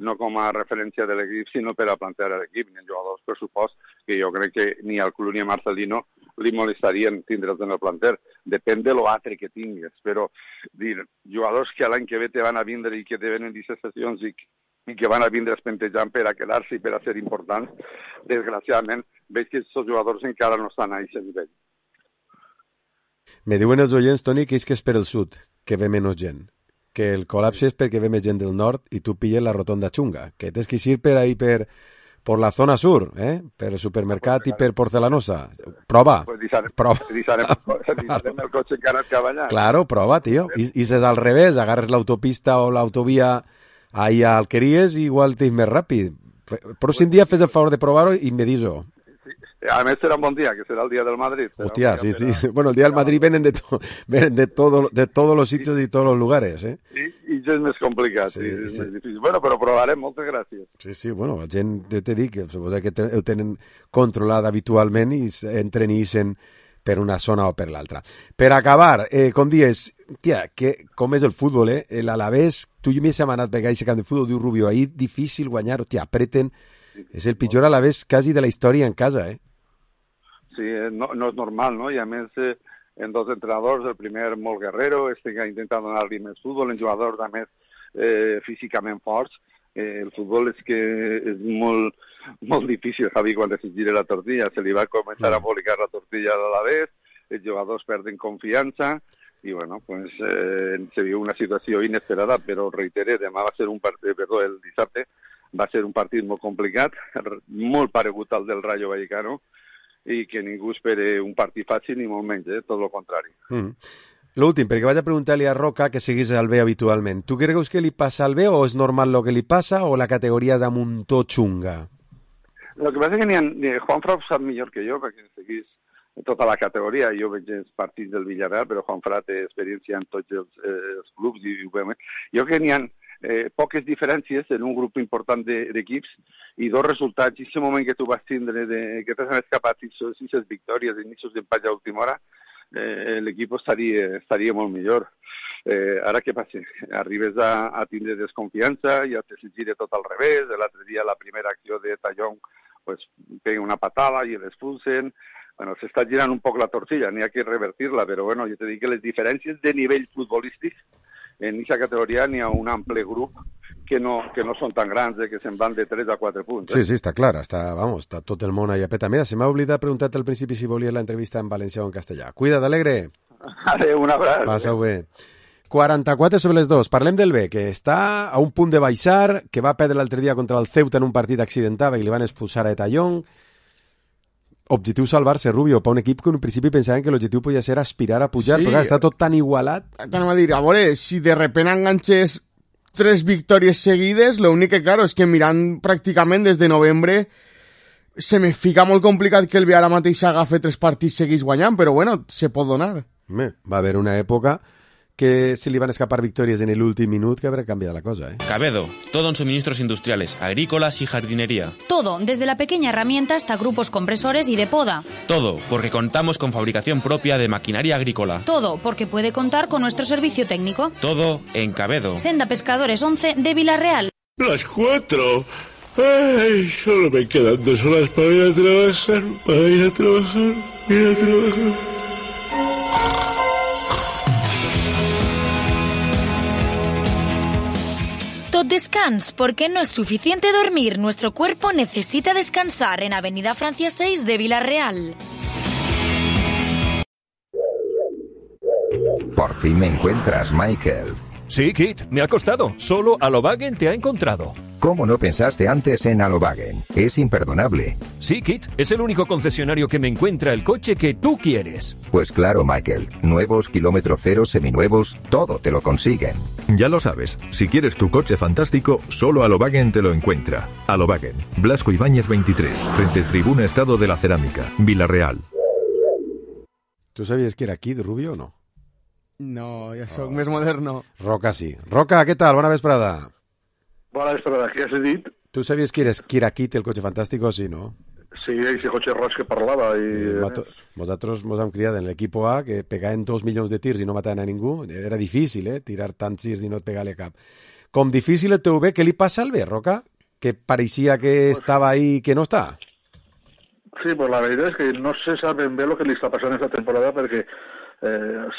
no com a referència de l'equip, sinó per a plantear l'equip, ni jugadors, per supost, que jo crec que ni al club ni a Marcelino li molestarien tindre'ls en el planter. Depèn de l'altre que tingues, però dir, jugadors que l'any que ve te van a vindre i que te venen 17 sessions i que van a vindre espentejant per a quedar-se i per a ser importants, desgraciadament, veig que aquests jugadors encara no estan a aquest nivell. Me diuen els oients, Toni, que és per el sud, que ve menys gent. Que el col·lapse és perquè ve més gent del nord i tu pilles la rotonda xunga, que tens que ir per ahí per la zona sur, per el supermercat i per Porcelanosa. Prova. Pues deixarem el cotxe encara cap allà. Claro, prova, tío. I si és al revés, agarres l'autopista o l'autovia ahí a Alqueries i igual t'és més ràpid. Però si un dia fes el favor de provar-ho i me dis-ho. A més serà un bon dia, que serà el dia del Madrid. Hostia, sí. Bueno, el día del Madrid vienen de todos los sitios y todos los lugares, I ja és més complicat, sí. És més difícil. Bueno, però provarem, moltes gràcies. Sí, bueno, la gent, jo te dic, suposo que ho tenen controlat habitualment i entren i ixen per una zona o per l'altra. Per acabar, com dius, tia, com és el futbol, l'Alavés, tu i mi hem anat per aquest camp de futbol, diu Rubio, ahir difícil guanyar, tia, apreten, és el pitjor Alavés quasi de la història en casa, Sí, no és normal, no? I a més, en dos entrenadors, el primer molt guerrero, que intenta donar-li més futbol, en jugadors, a més, físicament forts. El futbol és que és molt difícil, Javi, quan es gira la tortilla. Se li va començar a embolicar la tortilla a l'Alavés, els jugadors perden confiança, i bueno, pues, se viu una situació inesperada, però reiteré, demà va ser el dissabte, va ser un partit molt complicat, molt paregut al del Rayo Vallecano, i que ningú espere un partit fàcil ni molt menys, tot el contrari. L'últim, perquè vaig a preguntar-li a Roca que seguís al B habitualment. Tu creus que li passa al B o és normal el que li passa o la categoria és amb un to xunga? El que passa és que Juanfran sap millor que jo perquè seguís tota la categoria. Jo veig els partits del Villarreal, però Juanfran té experiència en tots els clubs i ho veiem. Jo crec que n'hi ha poques diferències en un grup important d'equips i dos resultats. I aquest moment que tu vas tindre, que t'has escapat 6 victòries i 6 empats a última hora, l'equip estaria molt millor. Ara què passa? Arribes a tindre desconfiança, ja te gira tot al revés. L'altre dia la primera acció de Tallón pues, pega una patada i l'expulsen. Bueno, s'està girant un poc la tortilla, n'hi ha que revertir-la, però bueno, jo te dic que les diferències de nivell futbolístic en aquesta categoria n'hi ha un ample grup que no són tan grans, que se'n van de 3 a 4 punts. Sí, està clar, està tot el món ahí apreta. Mira, se m'ha oblidat preguntar-te al principi si volies l'entrevista en valencià o en castellà. Cuida't, Alegre. Adéu, un abraç. Passa-ho bé. 44 sobre les 2. Parlem del B, que està a un punt de baixar, que va perdre l'altre dia contra el Ceuta en un partit accidentat i li van expulsar a Tallón. Objectiu salvar-se, Rubio, per un equip que en principi pensaven que l'objectiu podia ser aspirar a pujar, sí, però està tot tan igualat. Anem a dir, a veure, si de repent enganxes 3 victòries seguides, l'únic que, claro, és que mirant pràcticament des de novembre se me fica molt complicat que el B ara mateix agafi 3 partits seguits guanyant, però bueno, se pot donar. Va haver una època que se li van escapar victòries en l'últim minut que habrá cambiado la cosa, ¿eh? Cabedo, todo en suministros industriales, agrícolas y jardinería. Todo, desde la pequeña herramienta hasta grupos compresores y de poda. Todo, porque contamos con fabricación propia de maquinaria agrícola. Todo, porque puede contar con nuestro servicio técnico. Todo en Cabedo. Senda Pescadores 11 de Villarreal. Las 4. Ay, solo me quedan 2 horas para ir a trabajar, Tot descans, porque no es suficiente dormir. Nuestro cuerpo necesita descansar en Avenida Francia 6 de Villarreal. Por fin me encuentras, Michael. Sí, Kit, me ha costado. Solo Alobagen te ha encontrado. ¿Cómo no pensaste antes en Alobagen? Es imperdonable. Sí, Kit, es el único concesionario que me encuentra el coche que tú quieres. Pues claro, Michael. Nuevos, kilómetro cero, seminuevos, todo te lo consiguen. Ya lo sabes, si quieres tu coche fantástico, solo Alobagen te lo encuentra. Alobagen, Blasco Ibáñez 23, frente Tribuna Estado de la Cerámica, Villarreal. ¿Tú sabías que era Kid Rubio o no? No, ja soc més moderno. Roca sí. Roca, què tal? Bona vesprada. Bona vesprada, què has dit? Tu sabies que era Kid, el cotxe fantàstico, sí, no? Sí, ese cotxe roig que parlava. Nosaltres ens hem criat en l'equip A, que pegaven 2 milions de tirs i no mataven a ningú. Era difícil, tirar tants tirs i no et pegar-li cap. Com difícil et ve, què li passa al B, Roca? Que pareixia que estava ahí i que no està. Sí, pues la veritat és que no se sap ben bé el que li està passant esta temporada perquè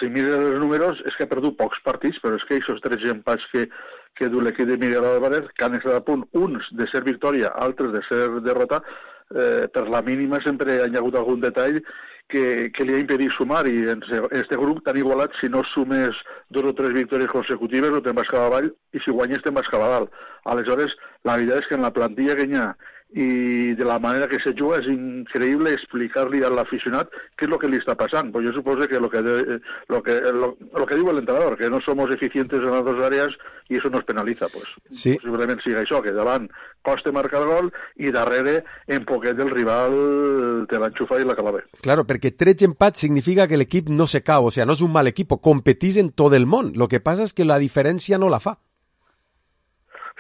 si mires els números és que ha perdut pocs partits, però és que aquests 13 empats que du l'equip de Miguel Álvarez, que han estat a punt, uns de ser victòria, altres de ser derrota, per la mínima sempre hi ha hagut algun detall que li ha impedit sumar, i en este grup tan igualat, si no sumes 2 o 3 victòries consecutives no te'n vas cap avall, i si guanyes te'n vas cap a dalt. Aleshores, la veritat és que en la plantilla que hi ha i de la manera que se juga és increïble explicar-li a l'aficionat què és el que li està passant. Pues jo suposo que lo que diu l'entrenador, que no somos eficientes en las dos áreas y eso nos penaliza, pues. Sí. Posiblement siga això, que davant costa marcar el gol i darrere en poquet del rival te l'enxufa i la cala bé. Claro, perquè 13 empats significa que l'equip no se cau, o sea, no és un mal equip, competís en tot el món. Lo que passa és que la diferència no la fa.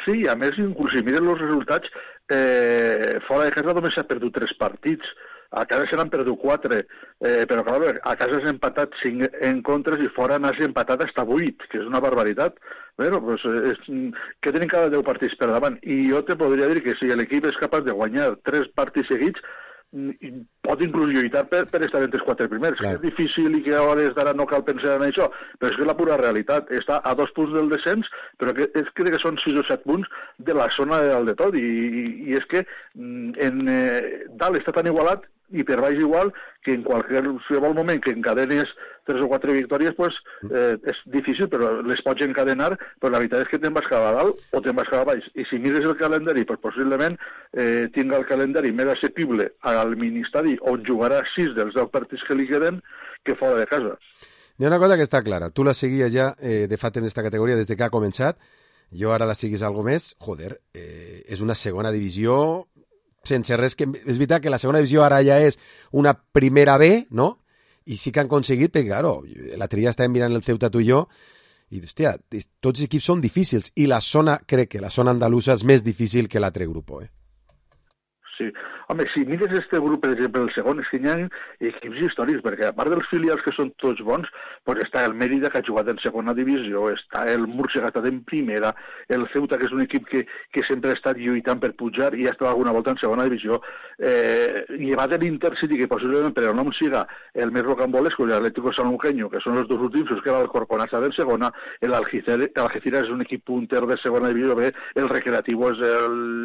Sí, a més, inclús si miren els resultats, fora de casa només s'ha perdut 3 partits, a casa se n'han perdut 4, però clar, a casa s'ha empatat 5 encontres i fora n'has empatat hasta 8, que és una barbaritat. Bueno, pues, que tenen cada 10 partits per davant, i jo te podria dir que si l'equip és capaç de guanyar 3 partits seguits, pot inclús lluitar per estar entre els 4 primers. Clar. És difícil i que a hores d'ara no cal pensar en això, però és que la pura realitat està a 2 punts del descens, però crec que són 6 o 7 punts de la zona de dalt de tot, i és que dalt està tan igualat i per baix igual que en qualsevol moment que encadenes 3 o 4 victòries, pues, és difícil, però les pots encadenar, però la veritat és que te'n vas cap a dalt o te'n vas cap a baix. I si mires el calendari, pues, possiblement tinga el calendari més assequible al Ministadi, on jugarà 6 dels 10 partits que li queden, que fora de casa. Hi ha una cosa que està clara. Tu la seguies ja de fet en aquesta categoria des que ha començat. Jo ara la seguis algo més. Joder, és una segona divisió sense res que... És veritat que la segona divisió ara ja és una primera B, no? I sí que han aconseguit, perquè, claro, l'altre dia estàvem mirant el Ceuta tu i jo, i, hòstia, tots els equips són difícils, i la zona, crec que la zona andalusa és més difícil que l'altre grup, Sí. Home, si mires este grup, per exemple, el segon, és que hi ha equips històrics, perquè a part dels filials que són tots bons, doncs està el Mérida, que ha jugat en segona divisió, està el Múrcia, que ha estat en primera, el Ceuta, que és un equip que sempre ha estat lluitant per pujar i ha estat alguna volta en segona divisió, llevat l'Intercity, que possiblement per el nom siga el més rocambolesco, l'Atlético Sanluqueño, que són els 2 últims, que era el Corcona està en segona, l'Algeciras és un equip punter de segona divisió B, el Recreativo és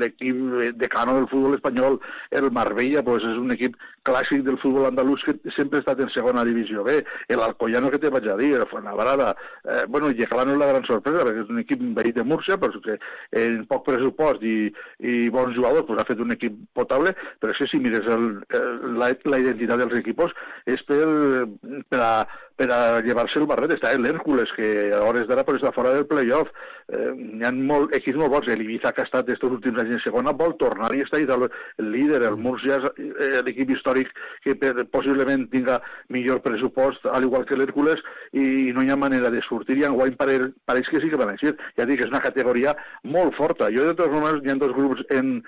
l'equip decano del futbol espanyol, el Marbella pues, és un equip clàssic del futbol andalús que sempre ha estat en segona divisió B, l'Alcoyano que te vaig a dir, el Fuenlabrada, bueno, Yeclà no és la gran sorpresa perquè és un equip veí de Múrcia, però que en poc pressupost i bons jugadors pues, ha fet un equip potable, però si mires la identitat dels equipos és per a llevar-se el barret. Està l'Hèrcules, que a hores d'ara està fora del playoff. Hi ha equips molt bons. L'Ibiza, que ha estat aquests últims anys en segona, vol tornar i està el líder. El Múrcia és l'equip històric que possiblement tinga millor pressupost, al igual que l'Hèrcules, i no hi ha manera de sortir, i enguany pareix que sí que van eixir. Ja dic, és una categoria molt forta. Jo, de totes maneres, hi ha dos grups en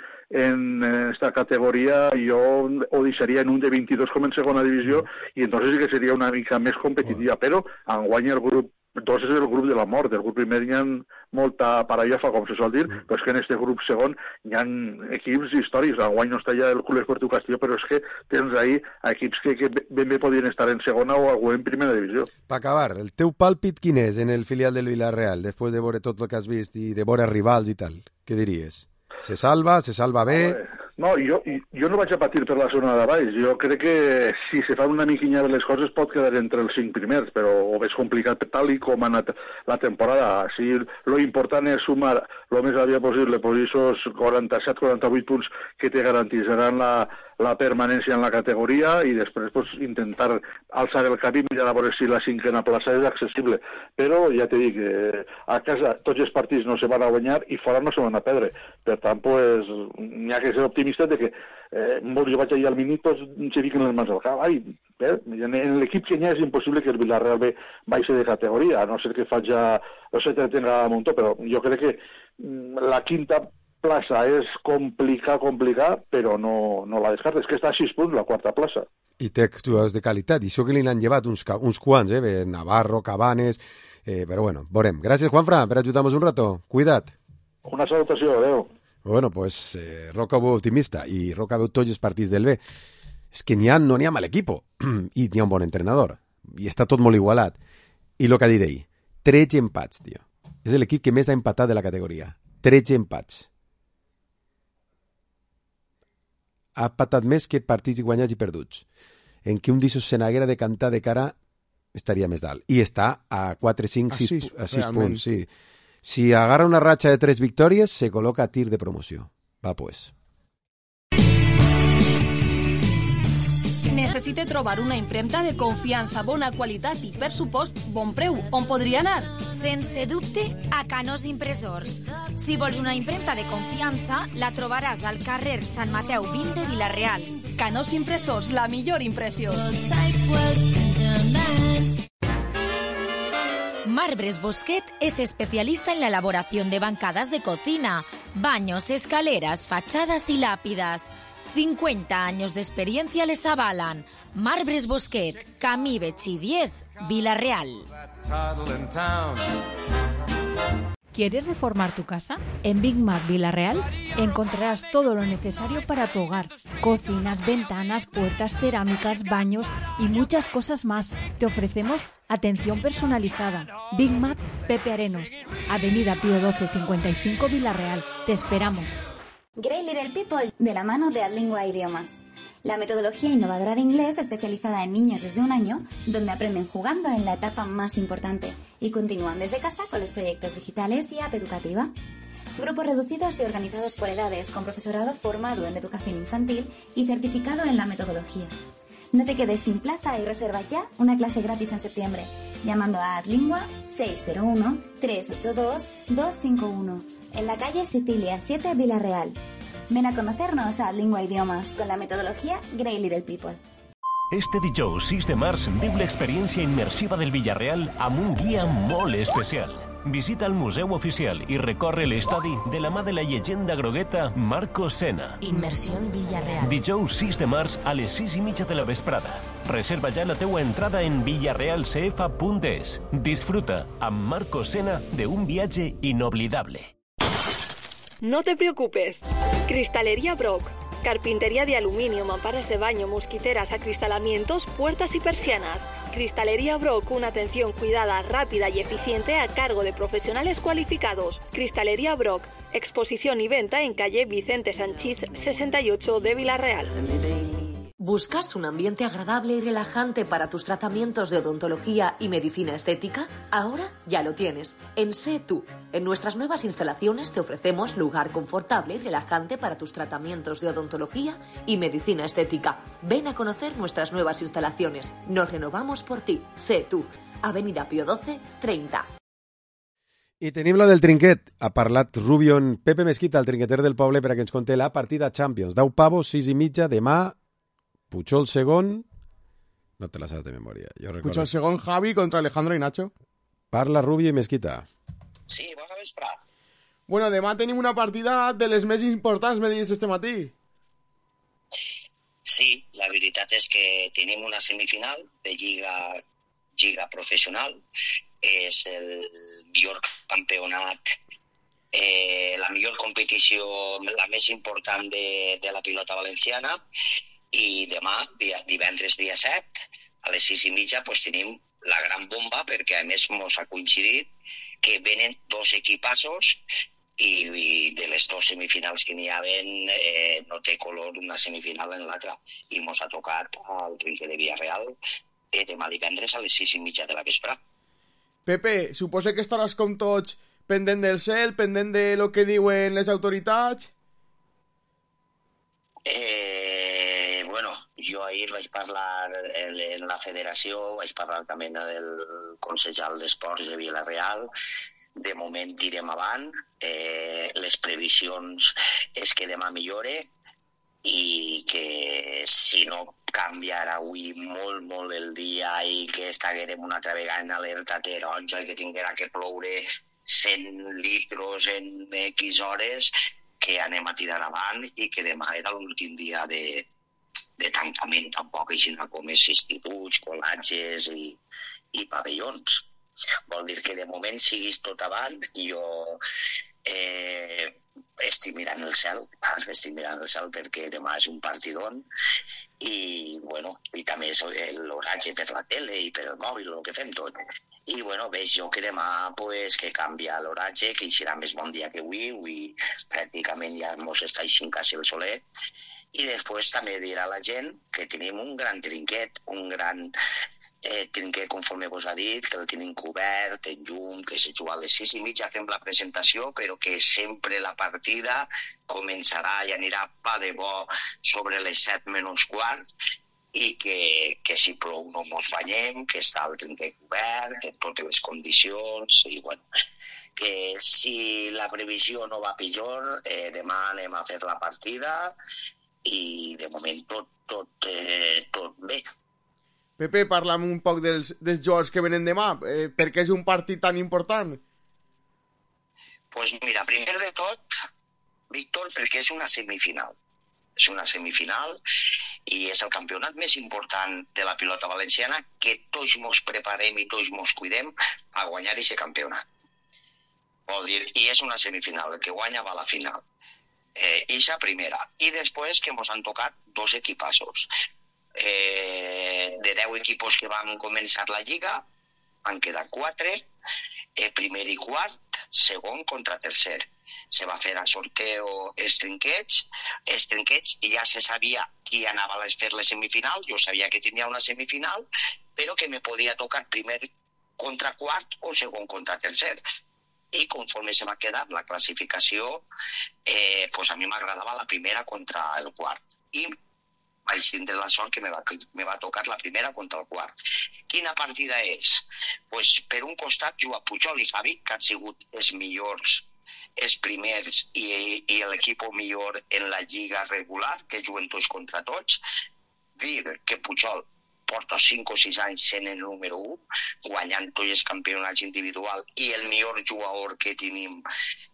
esta categoria, jo ho deixaria en un de 22 com en segona divisió, i entonces sí que seria una mica més competitiva, però enguany el grup 2 és el grup de la mort. El grup primer hi ha molta parallafa, com se sol dir, però és que en aquest grup segon hi ha equips històrics. Enguany no està ja el Club Esportiu Castelló, però és que tens ahí equips que ben bé podien estar en segona o en primera divisió. Per acabar, el teu pàlpit quin és en el filial del Villarreal, després de veure tot el que has vist i de veure rivals i tal? Què diries? Se salva bé? No, jo no vaig a patir per la zona de baix. Jo crec que si se fan una miquinya de les coses pot quedar entre els 5 primers, però ho veig complicat tal i com ha anat la temporada. Sí, lo important és sumar el més aviat possible aquests 47-48 punts que te garantisaran la permanència en la categoria, i després intentar alçar el cap i mirar a veure si la 5a plaça és accessible. Però ja t'he dit que a casa tots els partits no se van a guanyar i fora no se van a perdre. Per tant, n'hi ha que ser optimista de que jo vaig allà al minut, se fiquen les mans al cap. En l'equip que hi ha és impossible que el Villarreal B baixi de categoria, a no ser que se tenga a muntó, però jo crec que la 5a plaça és complicar, però no la descartes. És que està a 6 punts la 4a plaça. I té jugadors de qualitat, i això que li han llevat uns quants, Navarro, Cabanes, però bueno, veurem. Gràcies, Juanfran, per ajudar-nos un rato. Cuida't. Una salutació, adeu. Bueno, pues Roca veu optimista, i Roca veu tots els partits del B. És que no n'hi ha mal equip, i n'hi ha un bon entrenador, i està tot molt igualat. I el que ha dit ell, 13 empats, tio. És l'equip que més ha empatat de la categoria. 13 empats. Ha empatat més que partits guanyats i perduts. En què un d'aixos se n'haguera de cantar de cara estaria més dalt. I està a 4, 5, 6 punts. Sí. Si agarra una ratxa de 3 victòries, se col·loca a tir de promoció. Va, pues. Necessite trobar una impremta de confiança, bona qualitat i, per supost, bon preu. On podria anar? Sense dubte, a Canós Impressors. Si vols una impremta de confiança, la trobaràs al carrer Sant Mateu 20 de Vila-real. Canós Impressors, la millor impressió. Marbres Bosquet es especialista en la elaboración de bancadas de cocina, baños, escaleras, fachadas y lápidas. 50 años de experiencia les avalan. Marbres Bosquet, Camí Betxí 10, Vila-real. ¿Quieres reformar tu casa? En Big Mac Vila-real encontrarás todo lo necesario para tu hogar. Cocinas, ventanas, puertas, cerámicas, baños y muchas cosas más. Te ofrecemos atención personalizada. Big Mac Pepe Arenos, Avenida Pío 12 55 Vila-real. Te esperamos. Great Little People, de la mano de Adlingua Idiomas. La metodología innovadora de inglés especializada en niños desde 1 año, donde aprenden jugando en la etapa más importante y continúan desde casa con los proyectos digitales y app educativa. Grupos reducidos y organizados por edades, con profesorado formado en educación infantil y certificado en la metodología. No te quedes sin plaza y reserva ya una clase gratis en septiembre, llamando a Adlingua 601-382-251, en la calle Sicilia 7, Vila-real. Ven a conocernos a Adlingua Idiomas con la metodología Great Little People. Este dijous 6 de març viu l'experiència immersiva del Villarreal amb un guia molt especial. Visita el museu oficial i recorre l'estadi de la mà de la llegenda grogueta Marco Senna. Inmersión Villarreal. Dijous 6 de març a les 6:30 de la vesprada. Reserva ja la teua entrada en villarrealcf.es. Disfruta amb Marco Senna de un viatge inoblidable. No te preocupes. Cristalería Brock. Carpintería de aluminio, mamparas de baño, mosquiteras, acristalamientos, puertas y persianas. Cristalería Brock, una atención cuidada, rápida y eficiente a cargo de profesionales cualificados. Cristalería Brock, exposición y venta en calle Vicente Sanchís 68 de Vila-real. ¿Buscas un ambiente agradable y relajante para tus tratamientos de odontología y medicina estética? Ahora ya lo tienes. En Sé Tú. En nuestras nuevas instalaciones te ofrecemos lugar confortable y relajante para tus tratamientos de odontología y medicina estética. Ven a conocer nuestras nuevas instalaciones. Nos renovamos por ti. Sé Tú. Avenida Pío XII, 30. I tenim lo del trinquet. Ha parlat Rubio en Pepe Mesquita, el trinqueter del poble, per a que ens conté la partida Champions. 10 pavos, 6:30, demà, Puigol segon... No te la saps de memòria. Puigol segon, Javi contra Alejandro i Nacho. Parla Rubio i Mesquita. Sí, bona vesprà. Bueno, demà tenim una partida de les més importants, me digues este matí. Sí, la veritat és que tenim una semifinal de lliga professional. És el millor campionat, la millor competició, la més important de la pilota valenciana, i demà, divendres dia 7, a les 6:30, pues, tenim la gran bomba, perquè a més mos ha coincidit que venen dos equipassos i de les dues semifinals que n'hi haven no té color una semifinal en l'altra, i mos ha tocat al Trinquet de Villarreal demà divendres a les 6:30 de la vespre. Pepe, suposo que estaràs com tots pendent del cel, pendent de lo que diuen les autoritats? Bueno, jo ahir vaig parlar en la federació, vaig parlar també del Consell d'Esports de Villarreal. De moment tirem avant, les previsions és que demà millore i que si no canviarà avui molt el dia i que estaguerem una altra vegada en alerta taronja i que tinguera que ploure 100 litros en X hores, que anem a tirar avant i que demà era l'últim dia de tancament, tampoc així com és instituts, col·latges i pavellons. Vol dir que de moment siguis tot avant i jo estic mirant el cel perquè demà és un partidón i també és l'oratge per la tele i per el mòbil, el que fem tot. I veig jo que demà que canvia l'oratge, que serà més bon dia que avui pràcticament ja mos està eixint quasi el solet. I després també dirà la gent que tenim un gran trinquet, un gran trinquet, conforme vos ha dit, que el tenim cobert, en llum, que se juga a les 6:30, fem la presentació, però que sempre la partida començarà i anirà pa de bo sobre les 7 menys quart, i que si plou no mos banyem, que està el trinquet cobert, en totes les condicions, i que si la previsió no va pitjor, demà anem a fer la partida, i de moment tot bé. Pepe, parla'm un poc dels jugadors que venen demà. Per què és un partit tan important? Pues mira, primer de tot, Víctor, perquè és una semifinal. És una semifinal i és el campionat més important de la pilota valenciana, que tots mos preparem i tots mos cuidem a guanyar aquest campionat. Vol dir, i és una semifinal, el que guanya va a la final. Eixa primera. I després que mos han tocat dos equipassos. De 10 equipos que van començar la lliga, han quedat 4, primer i quart, segon contra tercer. Se va fer a sorteo els trinquets i ja se sabia qui anava a fer les semifinals. Jo sabia que tenia una semifinal, però que me podia tocar primer contra quart o segon contra tercer. I conforme se va quedar la classificació, a mi m'agradava la primera contra el quart. I vaig tindre la sort que me va tocar la primera contra el quart. Quina partida és? Per un costat juga Puigol i Javi, que han sigut els millors, els primers i l'equip millor en la lliga regular, que juguen tots contra tots. Dir que Puigol porta 5 o 6 anys sent el número 1, guanyant tots els campionats individuals i el millor jugador que tenim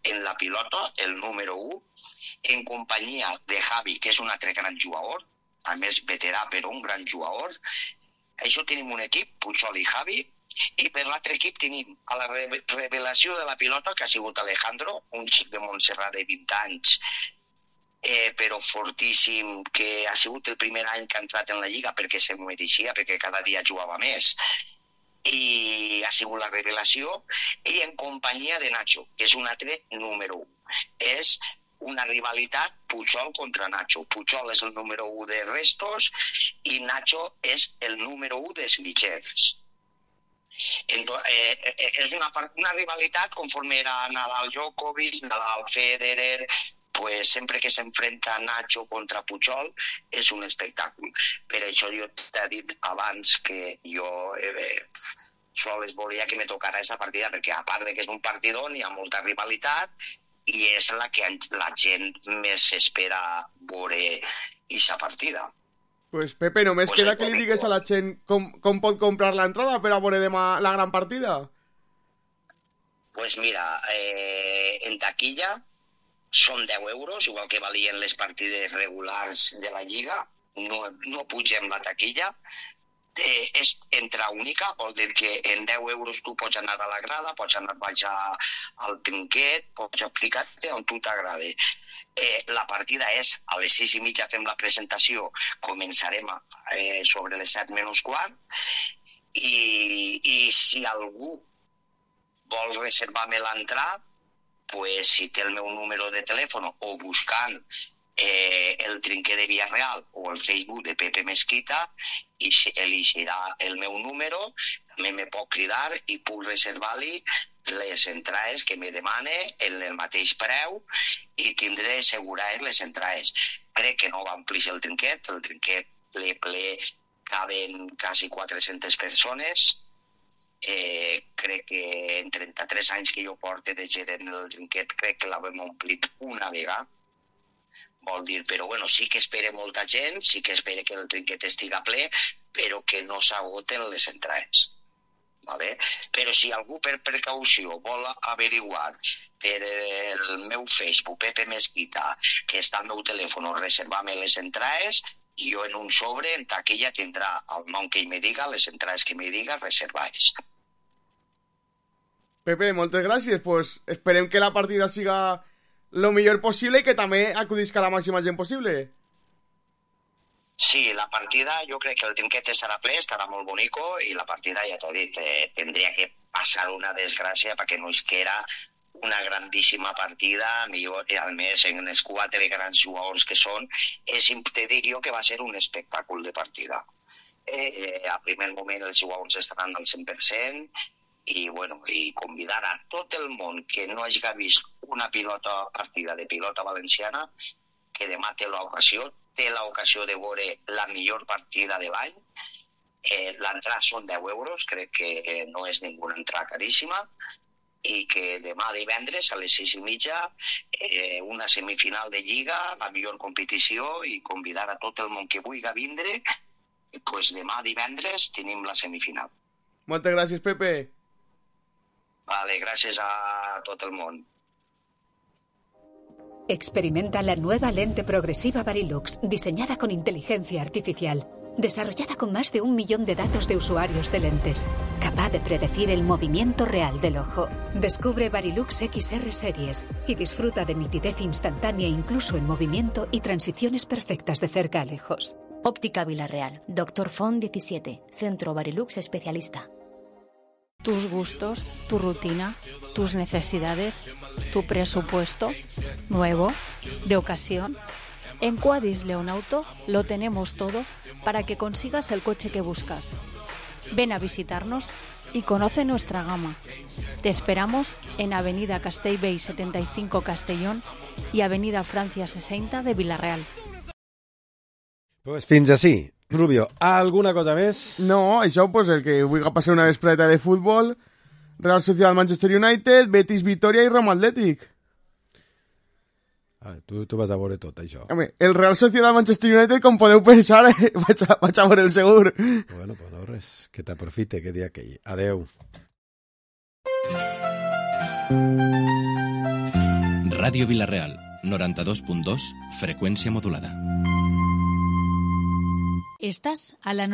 en la pilota, el número 1, en companyia de Javi, que és un altre gran jugador, a més veterà però un gran jugador. Això tenim un equip, Puigol i Javi, i per l'altre equip tenim a la revelació de la pilota, que ha sigut Alejandro, un xic de Montserrat de 20 anys, però fortíssim, que ha sigut el primer any que ha entrat en la lliga perquè se mereixia, perquè cada dia jugava més, i ha sigut la revelació, i en companyia de Nacho, que és un altre número 1. És una rivalitat Pujol contra Nacho. Pujol és el número 1 de restos i Nacho és el número 1 de mitjers. És una rivalitat conforme era Nadal Djokovic, Nadal Federer, pues sempre que s'enfrenta Nacho contra Pujol és un espectacle. Per això jo t'he dit abans que jo sols volia que me tocara aquesta partida, perquè a part de que és un partidón hi ha molta rivalitat i és la que la gent més espera veure aquesta partida. Pues Pepe, només queda que li digues a la gent com pot comprar l'entrada per a veure demà la gran partida. Pues mira, en taquilla són 10 euros, igual que valien les partides regulars de la Lliga, no pugem la taquilla, és entrada única, vol dir que en 10 euros tu pots anar a la grada, pots anar a baixar al trinquet, pots aplicar-te on tu t'agrada. La partida és a les 6:30 fem la presentació, començarem sobre les 7 menys quart, i si algú vol reservar-me l'entrada, pues si té el meu número de telèfon o buscant el trinquet de Villarreal o el Facebook de Pepe Mesquita i elegirà el meu número, també me pot cridar i puc reservar-li les entrades que me demane en el mateix preu i tindré assegurades les entrades. Crec que no va omplir el trinquet ple caben quasi 400 persones. Crec que en 33 anys que jo porto de gerent el trinquet crec que l'havem omplit una vegada, vol dir, però bueno, sí que espera molta gent, sí que espera que el trinquet estiga ple, però que no s'agoten les entrades, vale? Però si algú per precaució vol averiguar per el meu Facebook, Pepe Mesquita, que està al meu telèfon, reservar-me les entrades, jo en un sobre, en taquilla, tindrà el nom que ell me diga, les entrades que me diga, reservades. Pepe, moltes gràcies. Pues esperem que la partida siga lo millor possible i que també acudisca la màxima gent possible. Sí, la partida, jo crec que el trinquet estarà ple, estarà molt bonico, i la partida, ja t'he dit, tindria que passar una desgràcia perquè no es queda una grandíssima partida, millor, i a més en els 4 grans jugadors que són, te dic jo que va ser un espectacle de partida. A primer moment els jugadors estaran al 100% i, bueno, i convidar a tot el món que no hagi vist una partida de pilota valenciana, que demà té l'ocasió de veure la millor partida de l'any. L'entrada són 10 euros, crec que no és ninguna entrada caríssima, i que demà divendres a les 6:30 una semifinal de Lliga, la millor competició, i convidar a tot el món que vulgui vindre, pues demà divendres tenim la semifinal. Moltes gràcies, Pepe. Vale, gràcies a tot el món. Experimenta la nueva lente progresiva Varilux, diseñada con inteligencia artificial, desarrollada con más de 1 millón de datos de usuarios de lentes, capaz de predecir el movimiento real del ojo. Descubre Varilux XR Series y disfruta de nitidez instantánea incluso en movimiento y transiciones perfectas de cerca a lejos. Óptica Villarreal, Dr. Font 17, Centro Varilux Especialista. Tus gustos, tu rutina, tus necesidades, tu presupuesto, nuevo, de ocasión. En Quadis León Auto lo tenemos todo para que consigas el coche que buscas. Ven a visitarnos y conoce nuestra gama. Te esperamos en Avenida Castellbell 75 Castellón y Avenida Francia 60 de Villarreal. Pues fins així. Rubio, alguna cosa més? No, això, pues, el que vulgui passar una vespreta de futbol, Real Sociedad Manchester United, Betis Vitoria i Roma Atlètic. Tu vas a veure tot, això. Home, el Real Sociedad Manchester United, com podeu pensar, vaig a veure el segur. Bueno, pues no res, que t'aprofite, que dia aquell. Adeu. Ràdio Villarreal, 92.2, freqüència modulada. Estás a la